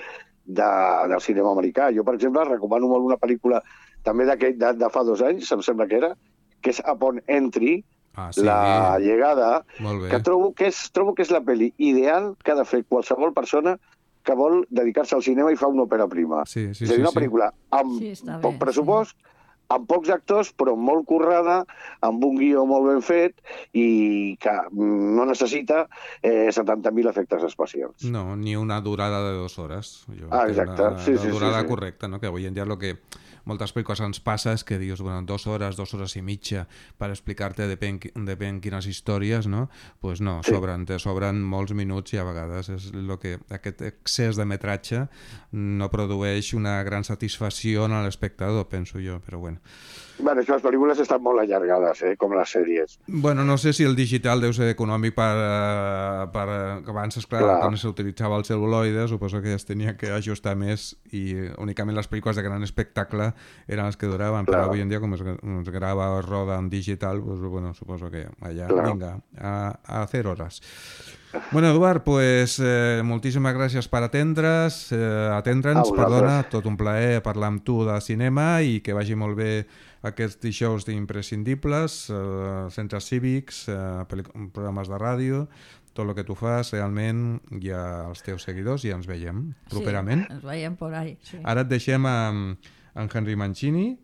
de, del cinema americà. Jo, per exemple, recomano molt una pel·lícula també de, de fa dos anys, em sembla que era, que és Upon Entry, ah, sí. La llegada, que trobo que, és, trobo que és la pel·li ideal que ha de fer qualsevol persona que vol dedicar-se al cinema i fa una òpera prima. Sí, sí, és a dir, una sí, pel·lícula amb sí, poc bé, pressupost, sí. amb pocs actors, però molt currada, amb un guió molt ben fet i que no necessita eh, setanta mil efectes especials. No, ni una durada de dues hores. Jo ah, exacte. Una, sí, una sí, durada sí, sí. correcta, no? Que avui en dia el que moltes pel·lícules ens passa és que dius, bueno, dues hores, dues hores i mitja per explicar-te depèn, depèn quines històries, no? Doncs pues no, sí. sobren, te sobren molts minuts i a vegades és el que aquest excés de metratge no produeix una gran satisfacció en l'espectador, penso jo, però bueno. Bueno, és que les pel·lícules estan molt allargades, eh? Com les sèries. Bueno, no sé si el digital deu ser econòmic per... per abans, esclar, clar. Quan s'utilitzava el cel·luloide, suposo que es tenia que ajustar més i únicament les pel·lícules de gran espectacle eren les que duraven, clar. Però avui en dia, com es, es grava o roda en digital, pues, bueno, suposo que allà, clar. Vinga, a, a hacer horas. Bueno, Eduard, pues, eh, moltíssimes gràcies per atendre's, eh, atendre'ns, perdona, tot un plaer parlar amb tu de cinema i que vagi molt bé aquests dijous d'imprescindibles, eh, centres cívics, eh, programes de ràdio, tot el que tu fas, realment hi ha els teus seguidors i ens veiem properament. Sí, ens veiem por ahí. Sí. Ara et deixem amb, amb Henry Mancini.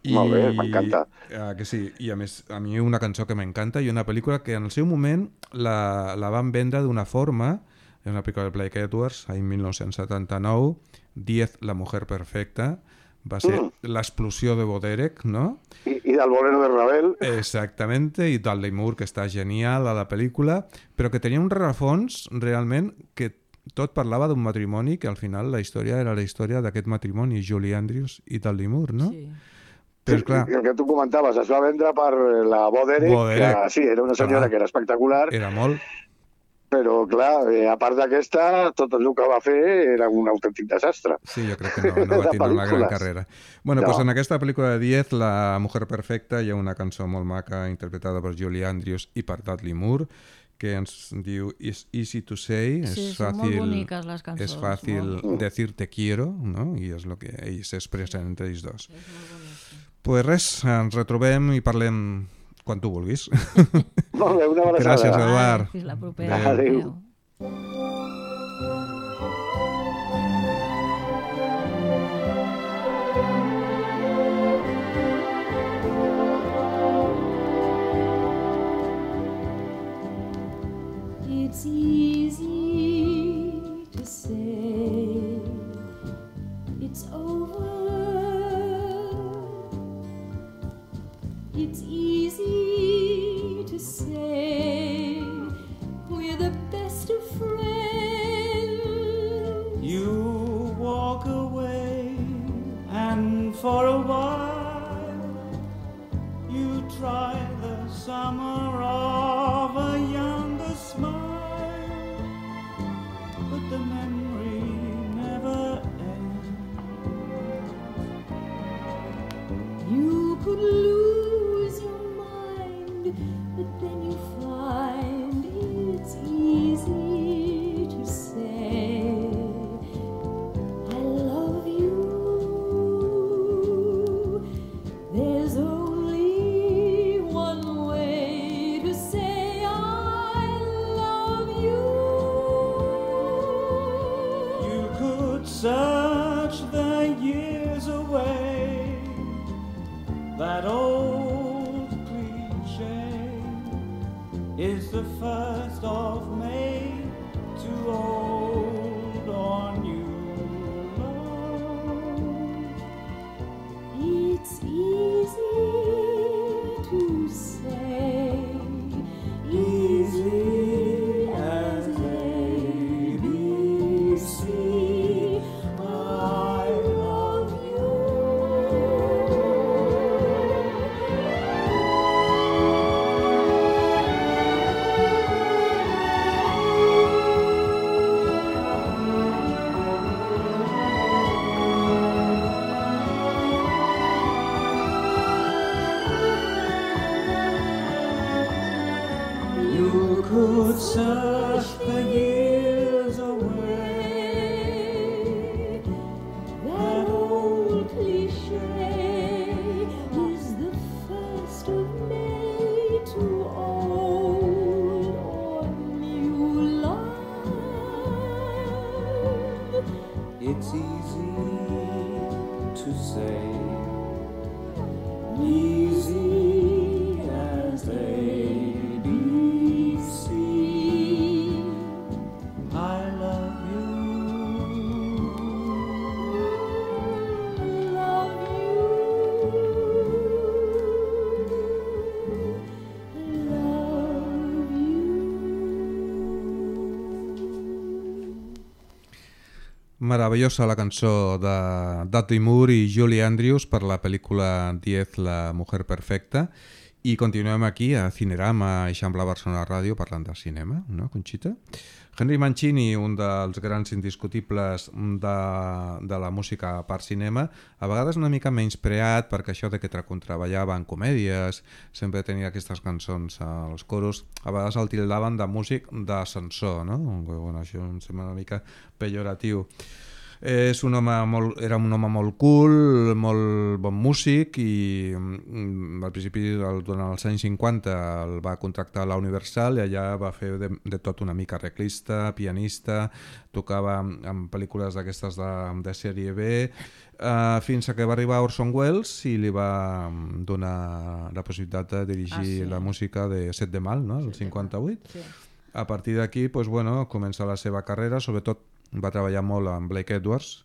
I, molt bé, m'encanta. Uh, que sí, i a més, a mi una cançó que m'encanta i una pel·lícula que en el seu moment la, la van vendre d'una forma, és una pel·lícula de Blake Edwards, l'any mil nou-cents setanta-nou, Diez, la mujer perfecta, va ser mm. l'explosió de Boderek, ¿no? I, i del bolero de Ravel. Exactamente, i Dudley Moore, que està genial a la pel·lícula, però que tenia un rerefons realment que tot parlava d'un matrimoni que al final la història era la història d'aquest matrimoni, Julie Andrews i Dudley Moore, no? Sí. Però, clar, el que tu comentaves, es va vendre per la Boderek, Boderek. Que sí, era una senyora clar. Que era espectacular. Era molt. Però, clar, eh, a part d'aquesta, tot el que va fer era un autèntic desastre. Sí, jo crec que no, no va tindre una gran carrera. Bueno, no. Pues en aquesta pel·lícula de Diez, La mujer perfecta, hi ha una cançó molt maca interpretada per Julie Andrews i per Dudley Moore, que ens diu It's easy to say, sí, és fàcil, molt boniques les cançons, és fàcil molt. decir te quiero, no? I és el que ells s'expressen entre ells dos. És molt bonic. Pues res, ens retrobem i parlem quan tu vulguis. Molt bé, una abraçada. Gràcies, Eduard. Fins la propera. Adéu. It's easy to say it's over. It's easy to say we're the best of friends. You walk away, and for a while you try the summer of a younger smile, but the memory never ends. You could lose but then you find it's easy to say I love you. There's only one way to say I love you. You could search the years away, that old is the first of May too old or new love? It's easy to say, easy as A B C, I love you. could search the years away. That old cliché is the first of May to old or new love. It's easy to say, easy as A B C. I love you. Love you. Love you. Meravellosa la cançó de Dudley Moore i Julie Andrews per la pel·lícula Diez, la mujer perfecta. I continuem aquí a Cinerama, Eixample Barcelona Ràdio, parlant de cinema, no, Conxita? Henry Mancini, un dels grans indiscutibles de, de la música per cinema, a vegades una mica menyspreat perquè això de que contraballava en comèdies, sempre tenia aquestes cançons als coros, a vegades el tildaven de músic d'ascensor, no? Bueno, això em sembla una mica pejoratiu. És un home molt, era un home molt cool, molt bon músic i mm, al principi, durant els anys cinquanta, el va contractar a la Universal i allà va fer de, de tot una mica arreglista, pianista, tocava en pel·lícules d'aquestes de, de sèrie B, uh, fins a que va arribar Orson Welles i li va donar la possibilitat de dirigir ah, sí. la música de Set de Mal, no? El cinquanta-vuit. Sí. A partir d'aquí, pues, bueno, comença la seva carrera, sobretot va treballar molt amb Blake Edwards,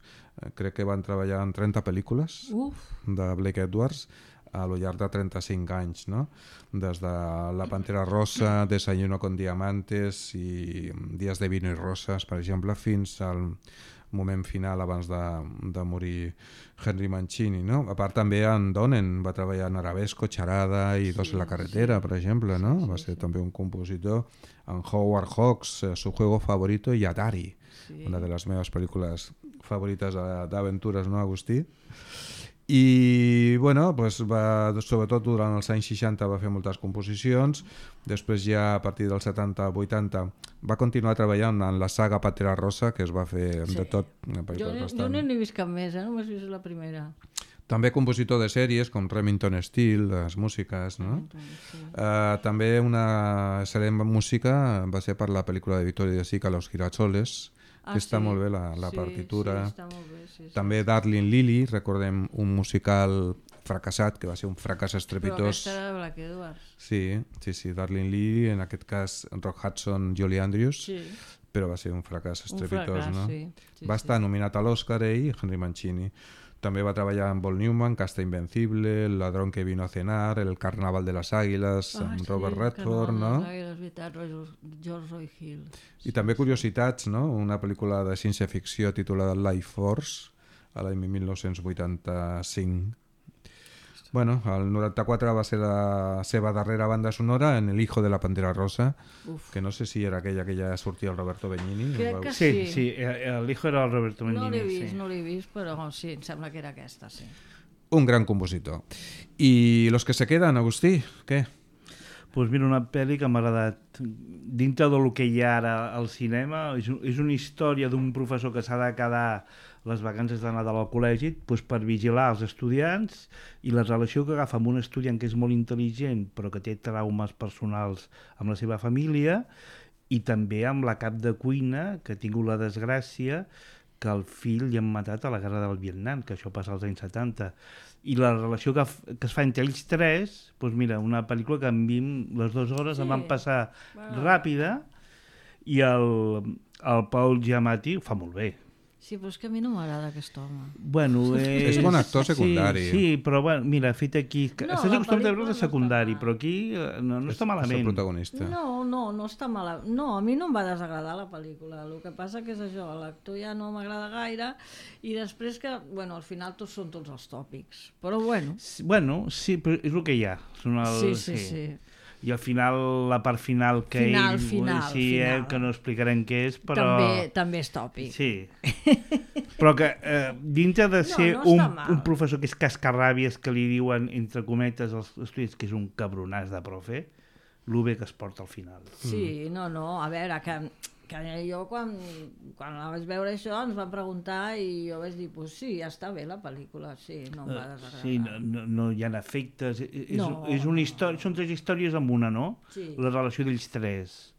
crec que van treballar en trenta pel·lícules Uf. de Blake Edwards a lo llarg de trenta-cinc anys, no? Des de La Pantera Rosa, Desayuno con Diamantes i Días de Vino y Rosas, per exemple, fins al moment final abans de, de morir Henry Mancini, no? A part també en Donen va treballar en Arabesco, Charada i Dos sí, en la carretera, sí. per exemple, no? Sí, sí, va ser sí. també un compositor en Howard Hawks, Su juego favorito i Atari, sí. una de les meves pel·lícules favorites d'aventures, no, Agustí? I, bueno, pues va, sobretot durant els anys seixanta va fer moltes composicions, després ja a partir dels setanta vuitanta va continuar treballant en la saga Pantera Rosa, que es va fer sí. de tot. Jo, bastant... jo no n'he vist cap més, eh? Només he vist la primera. També compositor de sèries com Remington Steele, les músiques, no? Sí. Uh, també una serem música va ser per la pel·lícula de Vittorio De Sica, Los Girasoles, Ah, que està sí. molt bé la, la sí, partitura. Sí, està molt bé, sí, sí. També Darling Lily, recordem un musical fracassat, que va ser un fracàs estrepitós. Però aquesta era de Black Edwards. Sí, sí, sí, Darling Lily, en aquest cas Rock Hudson, Julie Andrews, sí. però va ser un fracàs estrepitós, un fracàs, no? Sí. Sí, va estar sí. nominat a l'Oscar ell, Henry Mancini. També va treballar amb Paul Newman, Casta Invencible, El ladrón que vino a cenar, El carnaval de las águilas, ah, amb sí, Robert Redford, no? Águilas, veritat, George Roy Hill. I també curiositats, no? Una pel·lícula de ciència-ficció titulada Life Force, a l'any mil nou-cents vuitanta-cinc. Bueno, el noranta-quatre va ser la seva darrera banda sonora en El hijo de la Pantera Rosa, Uf. que no sé si era aquella que ja sortia el Roberto Benigni. Crec que sí. sí. Sí, el hijo era el Roberto Benigni. No l'he vist, sí. no l'he vist, però sí, em sembla que era aquesta, sí. Un gran compositor. I los que se quedan, Agustí, què? Pues mira, una pel·li que m'ha agradat. Dintre del que hi ha ara al cinema, és, és una història d'un professor que s'ha de quedar les vacances de Nadal al col·legi pues, per vigilar els estudiants i la relació que agafa amb un estudiant que és molt intel·ligent però que té traumes personals amb la seva família i també amb la cap de cuina que ha tingut la desgràcia que el fill li han matat a la guerra del Vietnam, que això passa als anys setanta. I la relació que, que es fa entre ells tres, doncs mira, una pel·lícula que en vint, les dues hores sí. em van passar bueno. ràpida i el, el Paul Giamatti ho fa molt bé. Sí, però és que a mi no m'agrada aquest home. Bueno, és... és bon actor secundari. Sí, sí, però bueno, mira, fet aquí... No, estàs acostumat a veure de secundari, no però aquí no, no és, està malament. És el protagonista. No, no, no està malament. No, a mi no em va desagradar la pel·lícula. El que passa que és això, l'actor ja no m'agrada gaire i després que, bueno, al final tots són tots els tòpics. Però bueno. Sí, bueno, sí, però és el que hi ha. Són el, sí, sí, sí. sí. I al final, la part final que final, ell... Final, sí, final. Eh, que no explicarem què és, però... També, també és tòpic. Sí. Però que eh, dintre de ser no, no un, un professor que és cascarràbies, que li diuen, entre cometes, als estudiants que és un cabronàs de profe, el bé que es porta al final. Sí, no, no, a veure, que, que jo quan, quan la vaig veure això ens van preguntar i jo vaig dir, pues sí, ja està bé la pel·lícula, sí, no em va desagradar. Sí, no, no, no hi ha efectes, és, No. és una història, són tres històries amb una, no? Sí. La relació d'ells tres.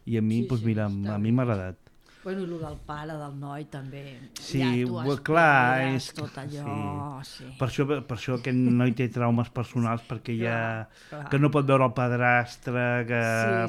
I a mi, Sí, doncs sí, mira, està a bé. mi m'ha agradat. Bueno, i el del pare, del noi, també. Sí, ja tu well, clar, esperes és- tot allò, sí. Per això, per això aquest noi té traumes personals, perquè ja... Clar, clar. que no pot veure el padrastre, que...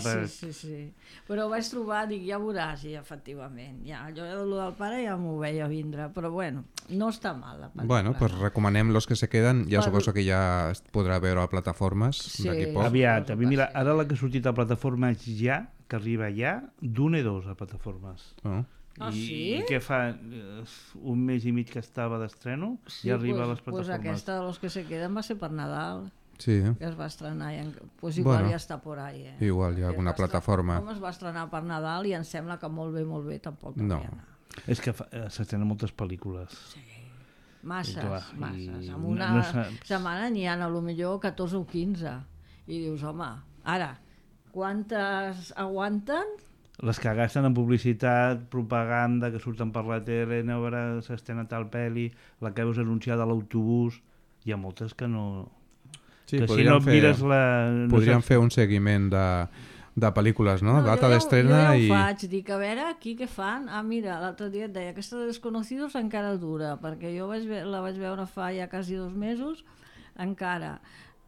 Sí, sí, sí, sí. Però ho vaig trobar, dic, ja veuràs, i efectivament. Ja, jo el del pare ja m'ho veia vindre, però bueno, no està mal la pel·lícula. Bueno, pues recomanem los que se queden. Ja Per- suposo que ja es podrà veure a plataformes Sí. d'aquí poc. Aviat, a mi, mira, Sí. ara la que ha sortit a plataformes ja, que arriba ja, d'un i dos a plataformes. Oh. Ah, I, sí? I què fa? Eh, Un mes i mig que estava d'estreno, Sí, ja arriba pues, a les pues plataformes. aquesta de los que se queden va ser per Nadal, Sí, que es va estrenar. I en... pues igual Bueno, ja està por ahí, eh? igual hi ha Que es alguna va estre- plataforma. Com es va estrenar per Nadal i em sembla que molt bé, molt bé, tampoc No. devia anar. És que fa- eh, s'estrenen moltes pel·lícules. Masses, I clar, masses. i En no- una no saps. setmana n'hi ha a lo millor catorze o quinze. I dius, home, ara, quantes aguanten? Les que gasten en publicitat, propaganda, que surten per la tele, a veure, s'estrena tal pel·li, la que veus anunciada a l'autobús, hi ha moltes que no... sí que si podríem, no fer, mires la... No podríem saps- fer un seguiment de, de pel·lícules, no? Data jo ja, d'estrena jo ja i... ho faig, dic, a veure, aquí què fan? Ah, mira, l'altre dia et deia, aquesta de Desconocidos encara dura, perquè jo vaig, ve- la vaig veure fa ja quasi dos mesos, encara,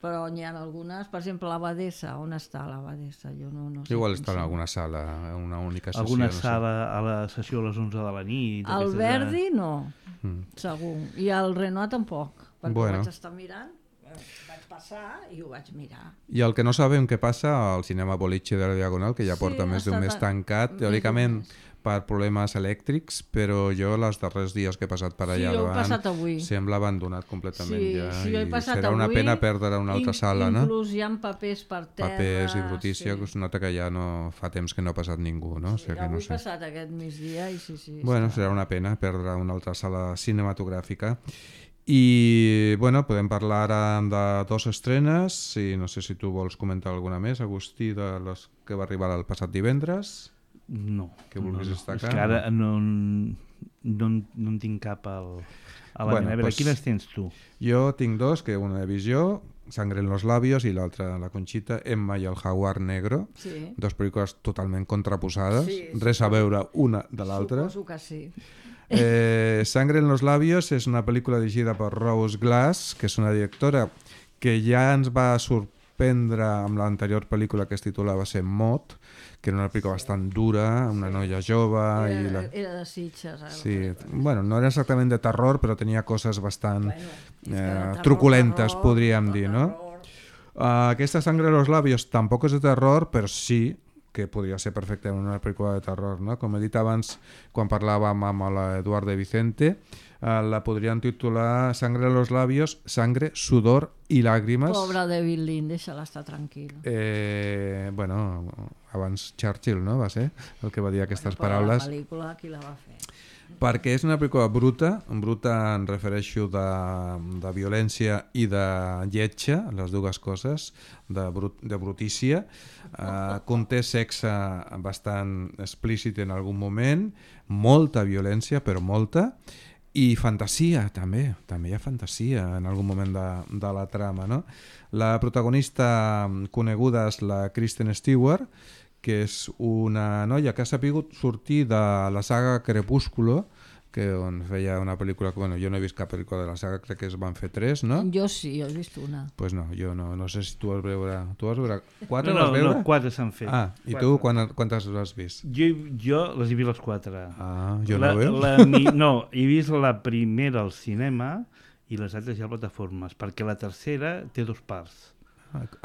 però n'hi ha algunes, per exemple, l'Abadessa, on està l'Abadessa? Jo no, no sé. Igual quin està en són. alguna sala, en una única sessió. Alguna no sé. sala a la sessió a les onze de la nit. El aquestes de- Verdi no, Mm. segur, i el Renoir tampoc, perquè Bueno. ho vaig estar mirant, eh, vaig passar i ho vaig mirar. I el que no sabem què passa al cinema Boliche de la Diagonal, que ja Sí, porta més d'un està mes tan- tancat, més teòricament d'un mes. per problemes elèctrics, però jo els darrers dies que he passat per Sí, allà jo he davant passat avui. sembla abandonat completament Sí, ja. sí, jo he I passat serà una avui, pena perdre una altra in- sala, no? Inclús hi ha papers per terra. Papers i brutícia, sí. que es nota que ja no fa temps que no ha passat ningú, no? O sigui que Avui no he sé. passat aquest migdia i sí, sí. Bueno, està- serà una pena perdre una altra sala cinematogràfica. I, bueno, podem parlar ara de dos estrenes, i no sé si tu vols comentar alguna més, Agustí, de les que va arribar el passat divendres. No. Que vulguis no, no. destacar, És que ara no, no, en- no en tinc cap al, a la Bueno, bueno, A veure, pues- quines tens tu? Jo tinc dos, que una de Visió, Sangre en los labios, i l'altra, La Conchita, Emma i el jaguar negro. Sí. Dos pel·lícules totalment contraposades, Sí, sí. res a veure una de l'altra. Suposo que sí. Eh, Sangre en los labios és una pel·lícula dirigida per Rose Glass, que és una directora que ja ens va sorprendre amb l'anterior pel·lícula que es titulava Ser Mot, que era una pel·lícula bastant dura, una noia jove... Era, i la... era de Sitges. Ara, Sí, bueno, no era exactament de terror, però tenia coses bastant Bueno, és que de eh, terror, truculentes, terror, podríem de dir, no? terror. Uh, aquesta Sangre en los labios tampoc és de terror, però sí que podria ser perfectament una pel·lícula de terror, no? Com he dit abans, quan parlàvem amb l'Eduard de Vicente, uh, la podrien titular Sangre en los labios, sangre, sudor i làgrimes. Pobre David Lynn, deixa-la estar tranquil. Eh, bueno, abans Churchill, no? Va ser el que va dir aquestes Però paraules. la pel·lícula, qui la va fer? Perquè és una pel·lícula bruta, bruta em refereixo de, de violència i de lletja, les dues coses, de, brut, de brutícia. Uh, conté sexe bastant explícit en algun moment, molta violència, però molta, i fantasia també, també hi ha fantasia en algun moment de, de la trama, no? La protagonista coneguda és la Kristen Stewart, que és una noia que ha sabut sortir de la saga Crepúsculo, que on feia una pel·lícula que, bueno, jo no he vist cap pel·lícula de la saga, crec que es van fer tres, no? Jo sí, jo he vist una. Pues no, jo no, no sé si tu vas veure... Tu vas veure... Quatre no, vas no, veure? no, quatre s'han fet. Ah, i Quatre. tu quan, quantes has vist? Jo, jo les he vist les quatre. Ah, jo la, no veus? la, mi, no, he vist la primera al cinema i les altres ja a plataformes, perquè la tercera té dos parts.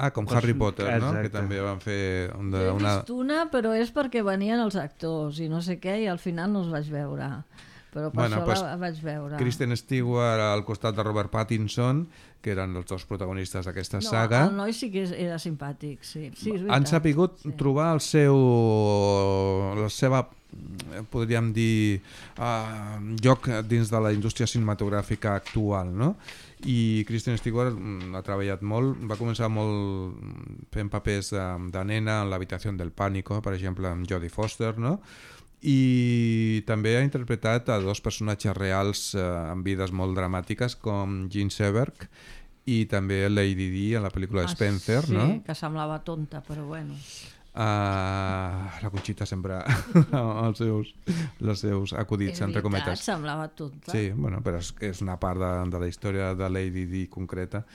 Ah, com Pues, Harry Potter, no? exacte. Que també van fer un Jo de, he una... vist una, però és perquè venien els actors i no sé què, i al final no els vaig veure. Però per Bueno, això pues, la vaig veure. Kristen Stewart al costat de Robert Pattinson, que eren els dos protagonistes d'aquesta No, saga. el noi sí que és- era simpàtic, sí. sí és Han veritat, sapigut sí. trobar el seu, la seva, podríem dir, uh, lloc dins de la indústria cinematogràfica actual, no? I Kristen Stewart mm, ha treballat molt, va començar molt fent papers de, de nena en l'habitació del pànico, per exemple, amb Jodie Foster, no? I també ha interpretat a dos personatges reals eh, amb vides molt dramàtiques com Jean Seberg i també Lady Di a la pel·lícula Ah, Spencer, sí, no? que semblava tonta, però bueno. Uh, la Conxita sempre els seus, els seus acudits, És entre veritat, cometes. semblava tonta. Sí, bueno, però és, és una part de, de la història de Lady Di concreta.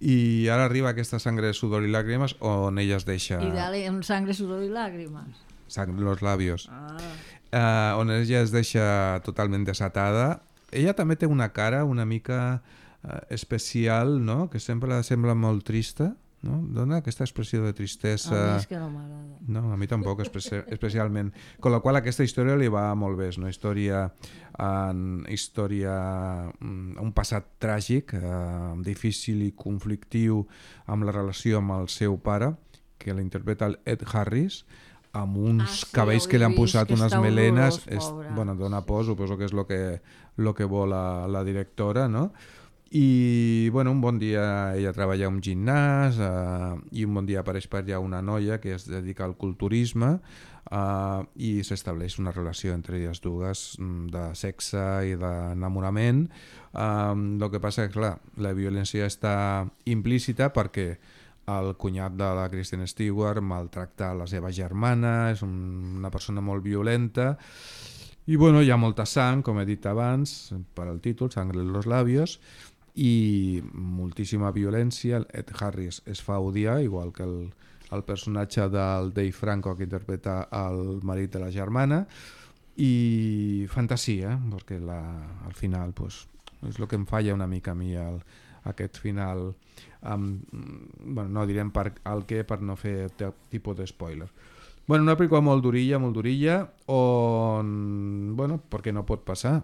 I ara arriba aquesta Sangre, sudor i làgrimes on ella es deixa I dale, amb sangre, sudor i làgrimes. sang los labios. Ah. Uh, on ella es deixa totalment desatada. Ella també té una cara una mica uh, especial, no? Que sempre sembla molt trista, no? Dona aquesta expressió de tristesa. A mi és que no m'agrada. No, a mi tampoc, especi especialment. Con la qual aquesta història li va molt bé. És una història, en, història un passat tràgic, eh, difícil i conflictiu amb la relació amb el seu pare, que l'interpreta el Ed Harris, amb uns Ah, sí, cabells ho que he li han vist, posat que unes està melenes. horrorós, És, pobre. bueno, dona por, suposo que és el que, lo que vol la, la directora, no? I bueno, un bon dia ella treballa a un gimnàs eh, i un bon dia apareix per allà una noia que es dedica al culturisme eh, i s'estableix una relació entre elles dues de sexe i d'enamorament. Eh, el que passa és que clar, la violència està implícita perquè el cunyat de la Kristen Stewart maltracta la seva germana, és un, una persona molt violenta i bueno, hi ha molta sang, com he dit abans, per al títol, Sangre en los labios, i moltíssima violència. Ed Harris es fa odiar, igual que el, el personatge del Dave Franco que interpreta el marit de la germana, i fantasia, perquè la, al final pues, és el que em falla una mica a mi el, aquest final, um, bueno, no direm per, el què per no fer tipus de spoiler. Bueno, una pel·lícula molt durilla, molt durilla, on, bueno, perquè no pot passar.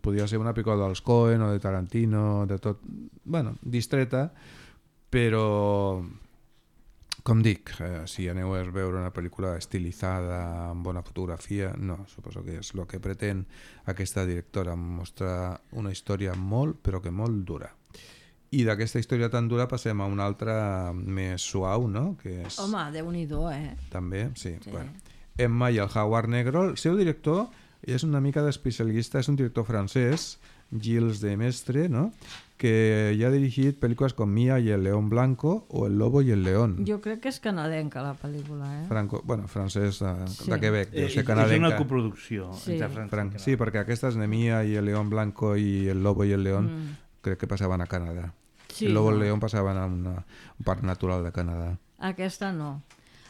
Podria ser una pel·lícula dels Coen o de Tarantino, de tot, bueno, distreta, però, com dic, eh, si aneu a veure una pel·lícula estilitzada, amb bona fotografia, no, suposo que és el que pretén aquesta directora, mostrar una història molt, però que molt dura. I d'aquesta història tan dura passem a una altra més suau, no? Que és... Home, Déu-n'hi-do, eh? També, sí. Sí. Bueno. Emma i el Jaguar Negro. El seu director és una mica d'especialista, és un director francès, Gilles de Mestre, ¿no? Que ja ha dirigit pel·lícules com Mia i el León Blanco o El Lobo i el León. Jo crec que és canadenca la pel·lícula, eh? Franco, bueno, francès de, Sí. de Quebec, Eh, deu ser és canadenca. una coproducció Sí. entre França Fran i Canadà. sí, perquè aquestes de Mia i el León Blanco i el Lobo i el León Mm. crec que passaven a Canadà. Sí, el Lobo i no. el León passaven a una, un parc natural de Canadà. Aquesta no.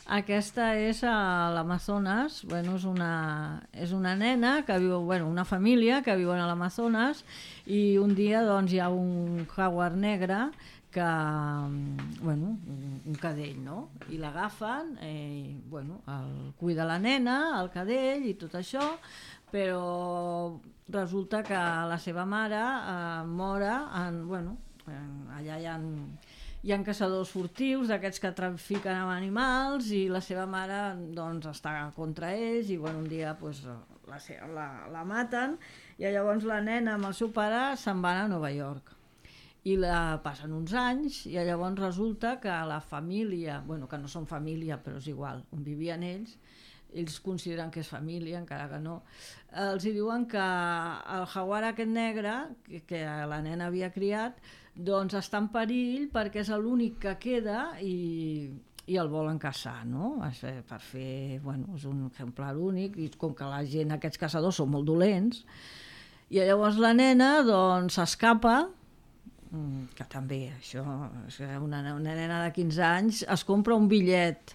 Aquesta és a l'Amazones, bueno, és una, és una nena que viu, bueno, una família que viuen a l'Amazones i un dia doncs hi ha un jaguar negre que, bueno, un, un cadell, no? I l'agafen, eh, bueno, el cuida la nena, el cadell i tot això, però resulta que la seva mare eh, mora en, bueno, en, allà hi ha hi ha caçadors furtius d'aquests que trafiquen amb animals i la seva mare doncs està contra ells i bueno, un dia pues, la, la, la maten i llavors la nena amb el seu pare se'n van a Nova York i la passen uns anys i llavors resulta que la família, bueno, que no són família però és igual, on vivien ells, ells consideren que és família, encara que no, els hi diuen que el jaguar aquest negre que, que la nena havia criat doncs està en perill perquè és l'únic que queda i, i el volen caçar, no? Per fer, bueno, és un exemplar únic i com que la gent, aquests caçadors són molt dolents i llavors la nena doncs s'escapa, que també això, és una, una nena de quinze anys es compra un bitllet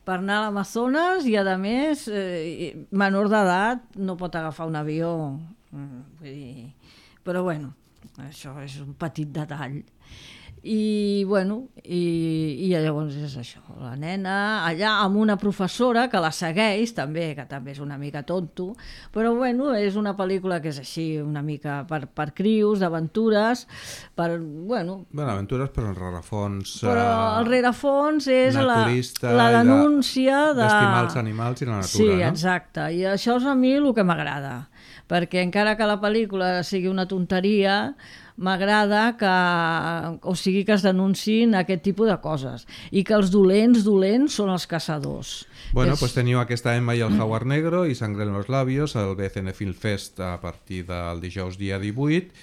per anar a l'Amazones i a més eh, menor d'edat no pot agafar un avió, vull dir, però bueno, això és un petit detall. I, bueno, i, i llavors és això, la nena allà amb una professora que la segueix també, que també és una mica tonto, però bueno, és una pel·lícula que és així, una mica per, per crius, d'aventures, per, bueno... Bueno, aventures, però el rerefons... Però el rerefons és la, naturista la i de- denúncia de... d'estimar els animals i la natura, sí, no? exacte, i això és a mi el que m'agrada, perquè encara que la pel·lícula sigui una tonteria, m'agrada que, o sigui, que es denunciïn aquest tipus de coses i que els dolents, dolents són els caçadors. Bueno, És- pues teniu aquesta Emma i el Jaguar Negro i Sangre en los labios al B C N Film Fest a partir del dijous dia divuit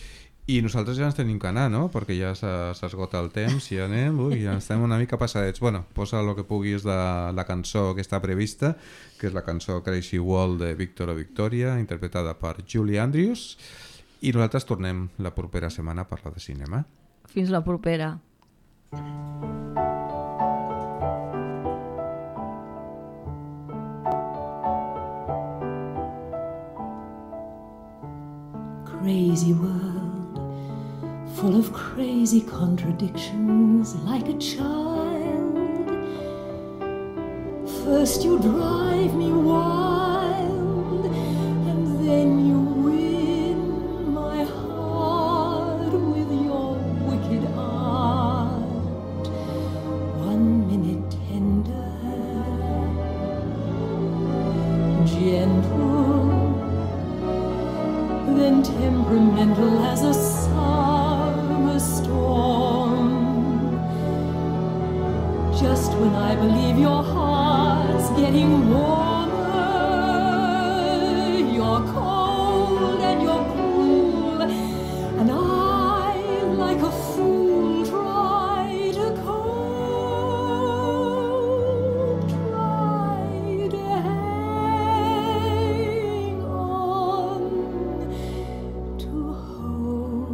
i nosaltres ja ens tenim que anar, no? Perquè ja s'ha- s'esgota el temps i ja anem, ui, ja estem una mica passadets. Bueno, posa el que puguis de la cançó que està prevista, que és la cançó Crazy World de Víctor o Victoria, interpretada per Julie Andrews, i nosaltres tornem la propera setmana a parlar de cinema. Fins la propera. Crazy world, full of crazy contradictions, like a child. First you drive me wild, and then you win my heart with your wicked art. One minute tender, gentle, then temperamental as a summer storm. Just when I believe your heart's getting warmer, you're cold and you're cruel, and I, like a fool, try to cope, try to hang on to hope.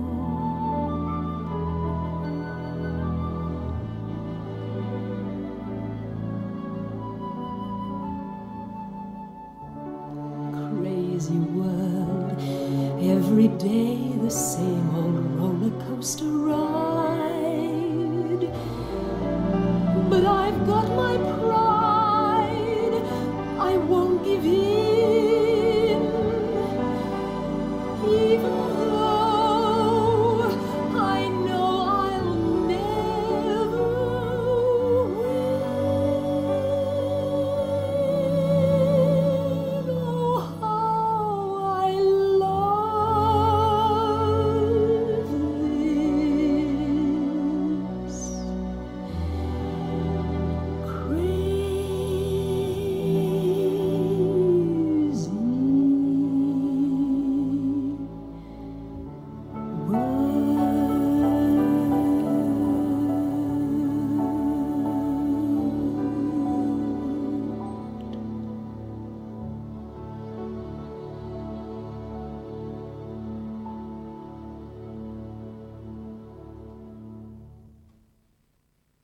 Crazy world, every day the same old roller coaster ride.